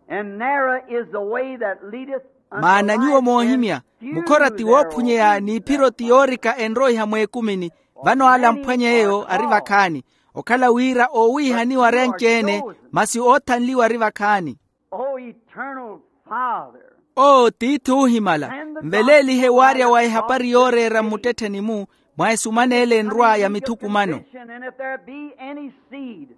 and narrow is the way that leadeth unto life." Maana nyuwo moohimya, mukhora ti woophunyeya n'iphiro ti yoorika enroiha mweekumini. Vano ala amphwanya eyo ari vakhaani. Okhala wira oowiihaniwa ari anci-ene, masi oothanliwa ari vakhaani. O eternal Father, oo tiithi oohimala, nveleelihe waarya wa ehapari yooreera mmuttettheni-mu mwa esumana ele enrwa ya mithukumano. And if there be any seed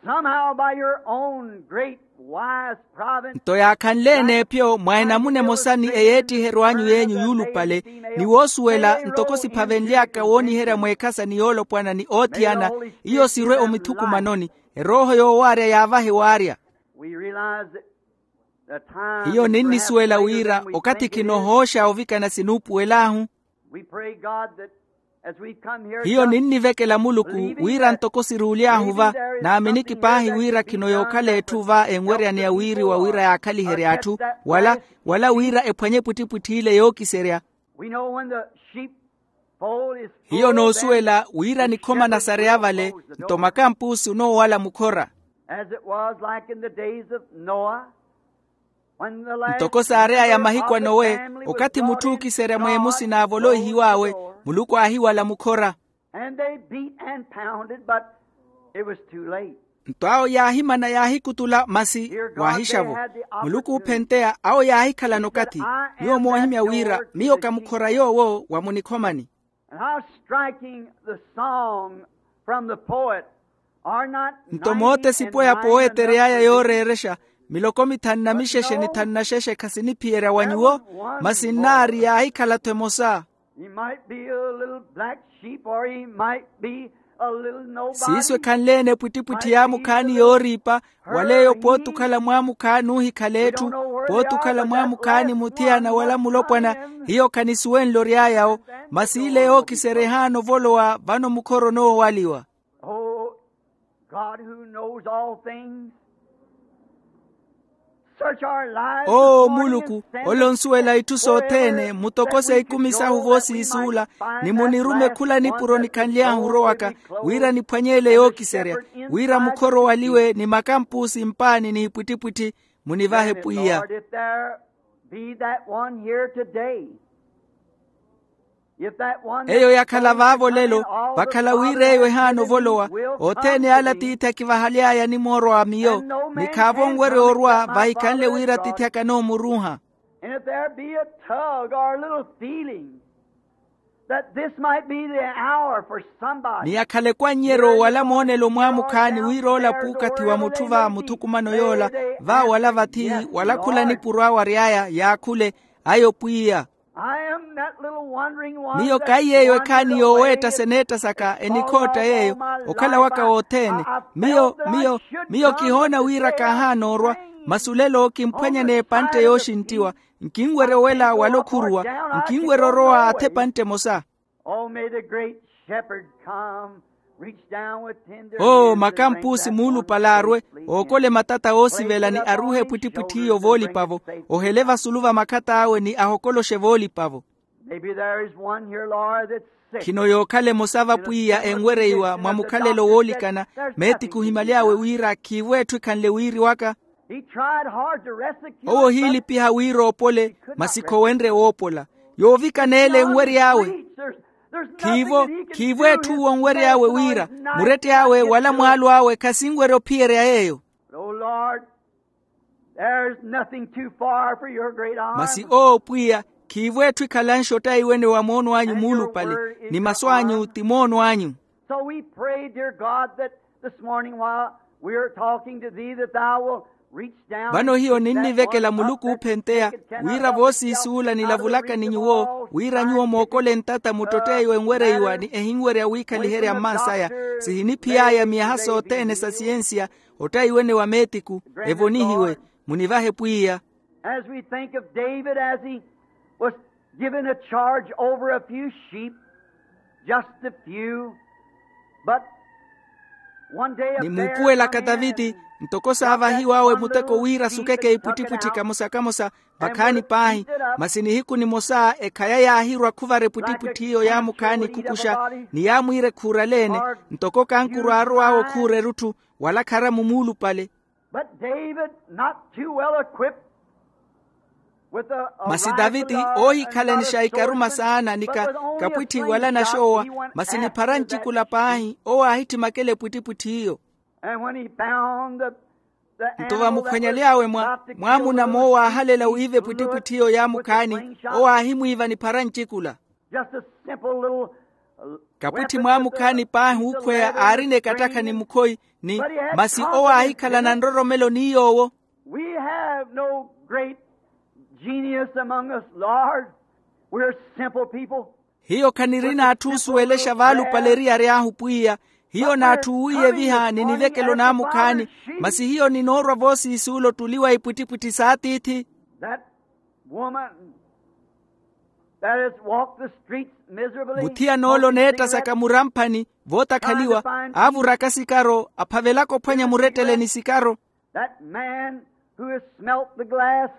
somehow by your own great wise providence. Nto yaakhanle-ene epyo mwa enamuna emosa ni eyeettiheryo anyu yenyu yuulupale, ni woosuwela ntoko siphavenly'aka wooniherya mweekhasa ni yoolopwana ni oothiyana, iyo sirwe omithukumanoni. Erooho yoowaarya yaavahe waarya. We realize that the time hiyo ninnisuwela wira okathi khinoohooxa ovikana sinuupuwel'ahu. We pray, God, that as we come here hiyo ninnivekela muluku wira ntoko siruuly'ahu va, naaminiki paahi wira khino yookhala etthu va enweryaneya wiiriwa wira yaakhaliherye atthu, wala wira ephwanye epwittipwitthi ile yookiserya. We know when the sheep hiyo noosuwela wira nikhoma nasareya vale, nto makampusi onoowala mukhora. As it was like in the days of Noah, when the last ntoko saareyaya mahiku a nowe, okathi mutthu ookiserya mweemusi naavoloihiw'awe, muluku aahiwala mukhora. And they beat and pounded, but it was too late. Nto awo yaahimana yaahikutula masi waahixa-vo. Muluku oophenteya awo yaahikhalana okathi. Nyuwo moohimya wira miyo ka mukhora yoowo wa munikhomani. And how striking the song from the poet, are not nto mootesipo ya powete erey'aya yooreerexa, miloko mithanu na mixexe ni thanu na xexe khasiniphiyerya wa nyuwo, masi nnaari yaahikhala-tho emosa. He might be a little black sheep, or he might be a little nobody. Siiso ekhanle-ene epwittipwitthi yaamukhaani yooriipa, wala eyo pooti okhala mwaamukhaani oohikhala etthu, pooti okhala mwaamukhaani muthiyana wala mulopwana. Hiyo khanisuwenle ory'aya-wo, masi ile yookiserya ehaana ovolowa vano mukhora onoowaliwa. Oh, God who knows all things, search our lives. Oo muluku, ole onsuwela itthu sothene, mutokose ikumi sahu voosiisuula, ni munirume khula nipuro nikhanly'ahu orowaka, wira niphwanye ele yookiserya, wira mukhora owaliwe ni makampusi mpaani n'ipwittipwitthi. Munivahe pwiya. Lord, if there be that one here today, eyo yakhala vaavo lelo, vakhala wira eyo ehaana ovolowa. Othene ala tiithi akivahaly'aya nimoorwa wa miyo, ni khaavo onwerya orwa vahikhanle wira tiithi akana omuruuha. And if there be a tug or a little feeling that this might be the hour for somebody, ni yakhala ekwannyeryo wala moonelo mwaamukhaani wira ola puukathi wa mutthu va muthukumano yoola, va wala vathi wala khula nipuro awo ary'aya yaakhule. Ayo pwiya. I am that little wandering one. Miyo kaiyeeyo ekhaani yooweetta seneetta saka enikhootta yeeyo okhala waka wothene. Miyo miyo miyo kihoona wira kaahaana orwa. Masi olelo kimphwanya n'epantte yooxinttiwa. Nkinwerya owela wala okhuruwa. Nkinwerya orowa atha epantte emosa. Oh, may the great shepherd come, reach down with tender oo hands and bring makampuusi that one muulupale arwe, safely in. Ookole matata oosivela ni aruuhe epwittipwitthi iyo voolipa-vo. Ohele vasulu va makhat'awe ni ahokoloxe voolipa-vo. Maybe there is one here, Lord, that's sick. Khino yookhala emosa va pwiya enwereiwa mwa mukhalelo woolikana. Meetiku ohimaly'awe wira khiivo etthu ekhanle wiiriwaka. He tried hard to rest the cure. Owo ohiilipiha wira oopole, masi khowenrye woopola. Yoovikana ele enwery'awe. There's, there's nothing khiivo that he can khiivo do. Etthu uwo onwery'awe wira muretty'awe wala mwaalo awe khasinwerya ophiyerya yeeyo. But, oh Lord, there's nothing too far for your great arm. Masi oo pwiya, khiivo etthu ekhalanxa ottaiwene wa moono anyu muulupale, ni masu anyu ti moono anyu. So we pray, dear God, that this morning while we are talking to thee, that thou will reach down. Vano hiyo ninnivekela muluku oophenteya, wira voosiisuula nilavulaka ni nyuwo wira nyuwo mookole ntata muttotteiwe enwereiwa ni ehinwerya wiikhaliherya mmansaya. Sihiniphiy'aya miyaha sothene sa siyensiya, ottaiwene wa meetiku, evonihiwe. Munivahe pwiya. As we think of David, as he was given a charge over a few sheep, just a few, but one day a bear come in and ntoko saavahiw'awe muteko wira asukeke ipwittipwitthi kamosa-kamosa vakhaani paahi. Masi nihiku nimosa ekhaya yaahirwa khuvara epwittipwitthi iyo yaamukhaani khukuxa, ni yaamwiira ekhuuraleene, ntoko kankuru aarow'awe okhuura erutthu, wala kharamu muulupale. But David, not too well equipped with a, a masi rifle, daviti oohikhalanisha or a ikaruma sword, saana ni but with only a kapwitthi wala slingshot, naxoowa, he went masi ni after phara that ncikula sheep. Paahi owo aahittimakela epwittipwitthi iyo. And when he found the, the animal that was, nto vamukhwanyely'awe mwa, about to kill mwamuna the moowo aahalela sheep, wiiva epwittipwitthi iyo yaamukhaani, with the slingshot, owo aahimwiiva ni phara ncikula. Just a simple little, uh, kapwitthi weapon mwamukhaani that the paahi uukhweya aarina ekattakha ni mukhoyi, ni masi owo aahikhalana nroromelo ni yoowo. We have no great genius among us, Lord. We're simple people. Hiyo khanirina atthu oosuwelexa vaalupale eriyari ahu pwiya. Hiyo n'atthu oowiiyeviha ni nivekelo naamukhaani. Masi hiyo ninoorwa voosiisuula ottuli wa ipwittipwitthi s'atiithi. That woman that has walked the streets miserably, muthiyana ole oneettasaka muramphani vootakaliwa, aavuraka sikaro aphavelaka ophwanya murettele ni sikaro. That man who has smelt the glass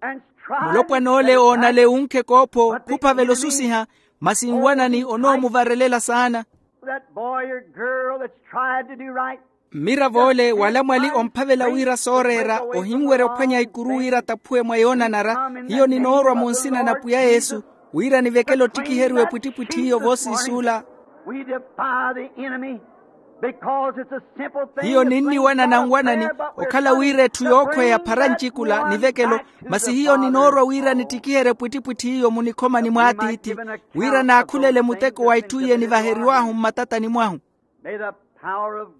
and tried mulopwana ole oonale uunkhe koopho khuphavela osusiha, masi nwanani onoomuvarelela saana. That boy or girl that's tried to do right. Mmiravo ole wala mwali omphavela wira sooreera ohinwerya ophwanya ikuru wira ataphuwe mwa yoonanara. Hiyo ninoorwa mu nsina na pwiya yesu, wira nivekele ottikiheriwa epwittipwitthi iyo voosiisuula. We defy the enemy because it's a simple thing. Hiyo ninniwanana nwanani okhala wira etthu yookhweya phara ncikula nivekelo. Masi hiyo ninoorwa wira nittikiherye epwittipwitthi iyo munikhomani mw'atiithi, wira naakhulele muteko wa itthu iye nivaheriw'ahu mmatatani mwahu.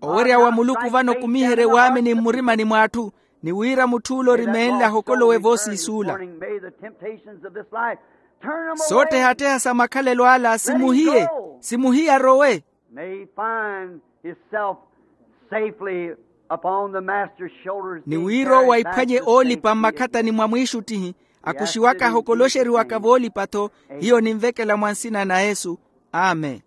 Owerya wa muluku vano kumiherye waamini mmurimani mw'atthu, ni wira mutth'ule orimeenle ahokolowe voosiisuula. Soottehatteha sa makhalelo ala simuhiye, simuhiye arowe. Ni wira owo aiphwanye oolipa mmakhatani mwa mwiixuttihi, akuxiwaka ahokoloxeriwaka voolipa-tho. Hiyo ninvekela mwa nsina na yesu. Amen.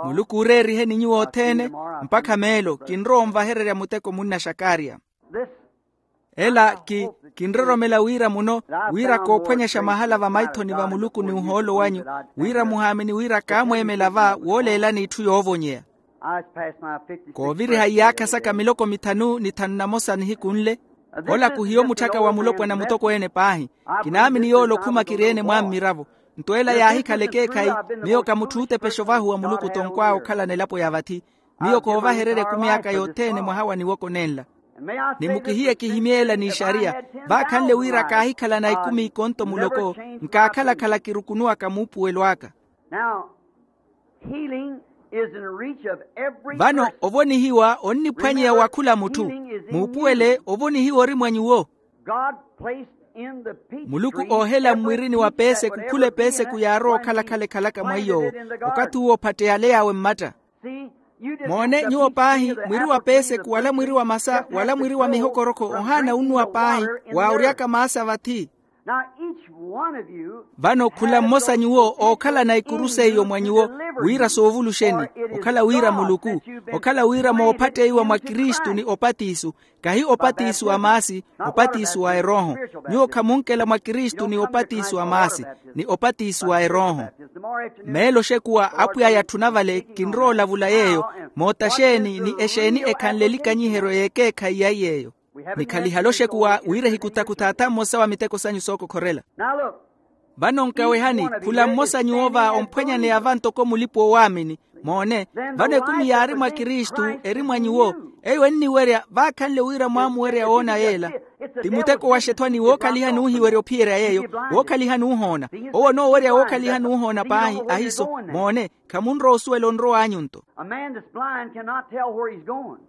Muluku ooreeriheni nyuwo othene. Mpakha meelo kinrowa onvahererya muteko munna xakarya. Ela ki kinroromela wira muno, wira koophwanyaxa mahala vamaithoni va muluku ni ohoolo wanyu, wira muhaamini wira kaamweemela va wooleelani itthu yoovonyeya. Kooviriha iyaakha saka miloko mithanu ni thanu na mosa nihiku nle. Ola kuhiyo mutthaka wa mulopwana mutokweene paahi. Kinaamini yoole okhuma kiri-ene mwa mmiravo. Nto ela yaahikhala ekeekhayi. Miyo ka mutthu ootepexa ovahuwa muluku tonkw'awe okhalana elapo ya vathi. Miyo koovahererya ekumi aka yothene mwaha wa niwoko nenla. Ni mukihiye kihimye ela n'ixariya. Vaakhanle wira kaahikhalana ikumi ikonto muloko, nkaakhala-khala kirukunuwaka muupuwelo aka. Vano ovonihiwa onniphwanyeya wa khula mutthu. Muupuwele ovonihiwa ori mwa nyuwo. Muluku oohela mmwirini wa peeseku khula epeeseku yaarowa okhala-khala ekhalaka mwa iy'owo. Okathi uwo ophatteyale yaawe mmatta. Moone nyuwo paahi, mwiri wa peeseku wala mwiri wa masa wala mwiri wa mihokorokho ohaana unnuwa paahi. Waaworyaka maasa vathi. Vano khula mmosa nyuwo ookhalana ikuru seiyo mwa nyuwo. Wira soovuluxeni, okhala wira muluku, okhala wira moophatteiwa mwa kristu ni opatiso, kahi opatiso a maasi, opatiso a erooho. Nyuwo khamunkela mwa kristu ni opatiso a maasi, ni opatiso a erooho. Meelo oxekuwa apwiya yatthuna vale kinrowa olavula yeeyo, moota xeeni ni exeeni ekhanle elikanyiheryo y'ekeekhayi ya iy'eyo. Nikhalihala oxekuwa wira ehikutakuthaatha mmosa wa miteko sanyu sookokhorela. Vano nkawehani, khula mmosa nyuwo va omphwanyaneya va ntoko mulipa-owaamini. Moone, vano ekumi yaari mwa kristu eri mwa nyuwo, eyo enniwerya vaakhanle wira mwaamuwerya woona yeela. Ti muteko wa xethwani wookhalihani oohiwerya ophiyeerya yeeyo, wookhalihani oohoona. Owo onoowerya wookhalihani oohoona paahi ahiiso. Moone, khamunrowa osuwela onrow'anyu nto. A man that's blind cannot tell where he's going.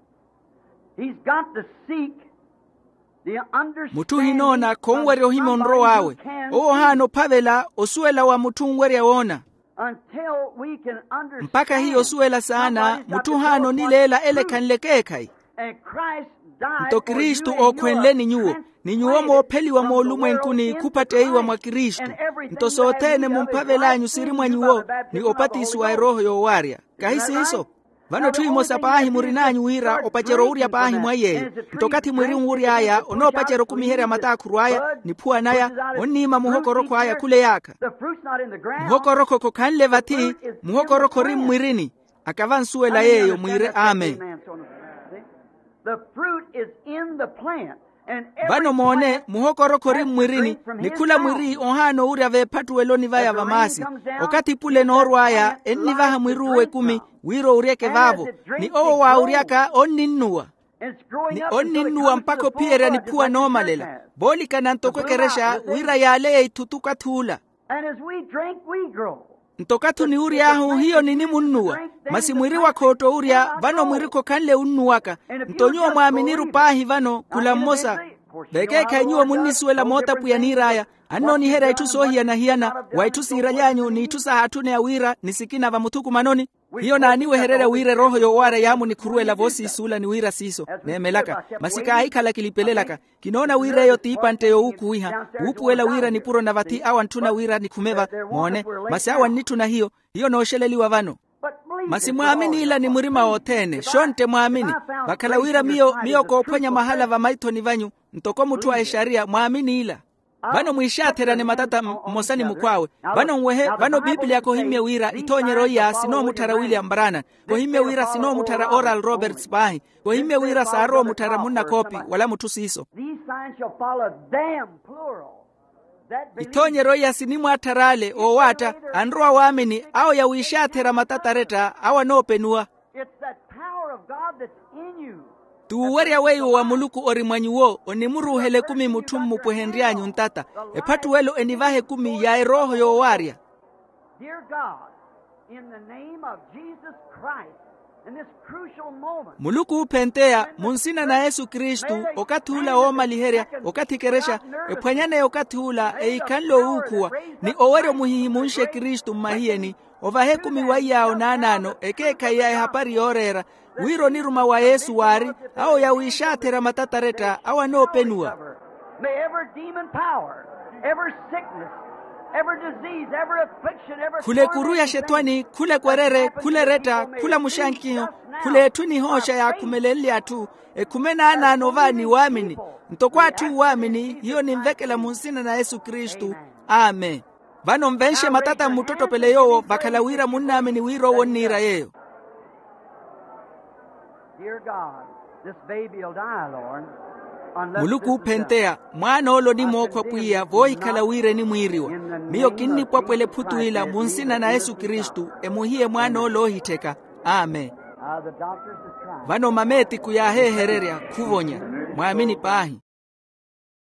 He's got to seek the understanding. Mutthu ohinoona khonwerya ohimya onrow'awe. Owo ohaana ophavela osuwela wa mutthu onwerya woona. Until we can understand. Mpakha hiyo osuwela saana mutthu ohaana onileela ele ekhanle ekeekhayi. Nto kristu ookhwenleni nyuwo, ni nyuwo moopheliwa moolumwenkuni khuphatteiwa mwa kristu. Nto sothene mumphavel'anyu siri mwa nyuwo, ni opatiso wa erooho yoowarya. Kahi siiso? Vano etthu emosa paahi murin'anyu wira opacerya owurya paahi mwa iy'eyo. Nto okathi mwiri onwury'aya onoopacerya okumiherya mataakhuru aya, niphuwa naya, onniima muhokorokho aya khula eyaakha. Muhokorokho khokhanle vathi. Muhokorokho ori mmwirini. Akava ansuwela yeeyo mwiire amen. Vano moone, muhokorokho ori mmwirini, ni khula mwiri ohaana owurya veephattuweloni vaya va maasi. Okathi pule noorw'aya ennivaha mwiri uwo ekumi, wira owuryeke vaavo. Ni owo waawuryaka onninnuwa. Ni onninnuwa mpakha ophiyerya niphuwa noomalela, voolikana ntoko ekerexa wira yaaleye ithutu okathi ula. Nto okathi oniwury'ahu hiyo ninimunnuwa. Masi mwiri wakhootta owurya vano mwiri khokhanle wunnuwaka. Nto nyuwo mwaaminiru paahi vano khula mmosa. Vekeekhayi nyuwo munnisuwela moota apwiya aniir'aya, annooniherya itthu soohiyana-hiyana, wa itthu siiraly'anyu n'itthu sahaatthuneya wira ni sikina vamuthukumanoni. Hiyo naaniwehererya wira erooho yoowaarya yaamunikhuruwela voosiisuula ni wira siiso neemelaka. Masi kaahikhala kilipelelaka. Kinoona wira eyo t'ipantte yoowuukhuwiha, wuupuwela wira nipuro na vathi awo antthuna wira nikhume va. Moone, masi awo annitthuna hiyo. Hiyo nooxeleliwa vano. Masi mwaamini ila ni murima wothene xontte mwaamini. Vakhala wira miyo miyo koophwanya mahala vamaithoni vanyu, ntoko mutthu a exariya mwaamini ila. Vano mwiixaatherane matata mmosa ni mukhw'awe. Vano nwehe, vano piipiliya kohimmye wira ithoonyeryo iya sinoomutthara william brana. Kohimmye wira sinoomutthara oral roberts paahi. Kohimmye wira saarowa omutthara munna khoopi wala mutthu siiso. Ithoonyeryo iya sinimwaatthara ale oowaatta, anrowa waamini awo yawiixaathera matata aretta awo anoopenuwa. T'uwerya weiwo wa muluku ori mwa nyuwo onimuruuhela ekumi mutthu mmupwehenry'anyu ntata. Ephattuwelo enivaha ekumi ya erooho yoowaarya. Muluku oophenteya mu nsina na yesu kristu, okathi ula woomaliherya, okathi ekerexa ephwanyaneya okathi ula eyikhanle owuukhuwa, ni owerya omuhihimunxe kristu mmahiyeni, ovaha ekumi wa iyaawo naanaano ekeekhayi ya ehapari yooreera, wira oniruma wa yesu waari awo yawiixaatherya matata aretta awo anoopenuwa. Khula ekuru ya xetwani, khula ekwerere, khula eretta, khula muxankiho, khula etthu enihooxa yaakhumelenle atthu, ekhume naanaano va ni waamini. Ntoko atthu oowaamini hiyo ninvekela mu nsina na yesu kristu. Amen. Vano nvenxe matata mmuttottopele yoowo vakhala wira munnaamini wira owo onniira yeeyo. Muluku oophenteya, mwaan'ole onimookhwa pwiya voohikhala wira enimwiiriwa. Miyo kinnipwapwela ephutu ila mu nsina na yesu kristu, emuhiye mwaan'ole oohittheka. Amen. Vano mameetiku yaaheehererya khuvonya. Mwaamini paahi.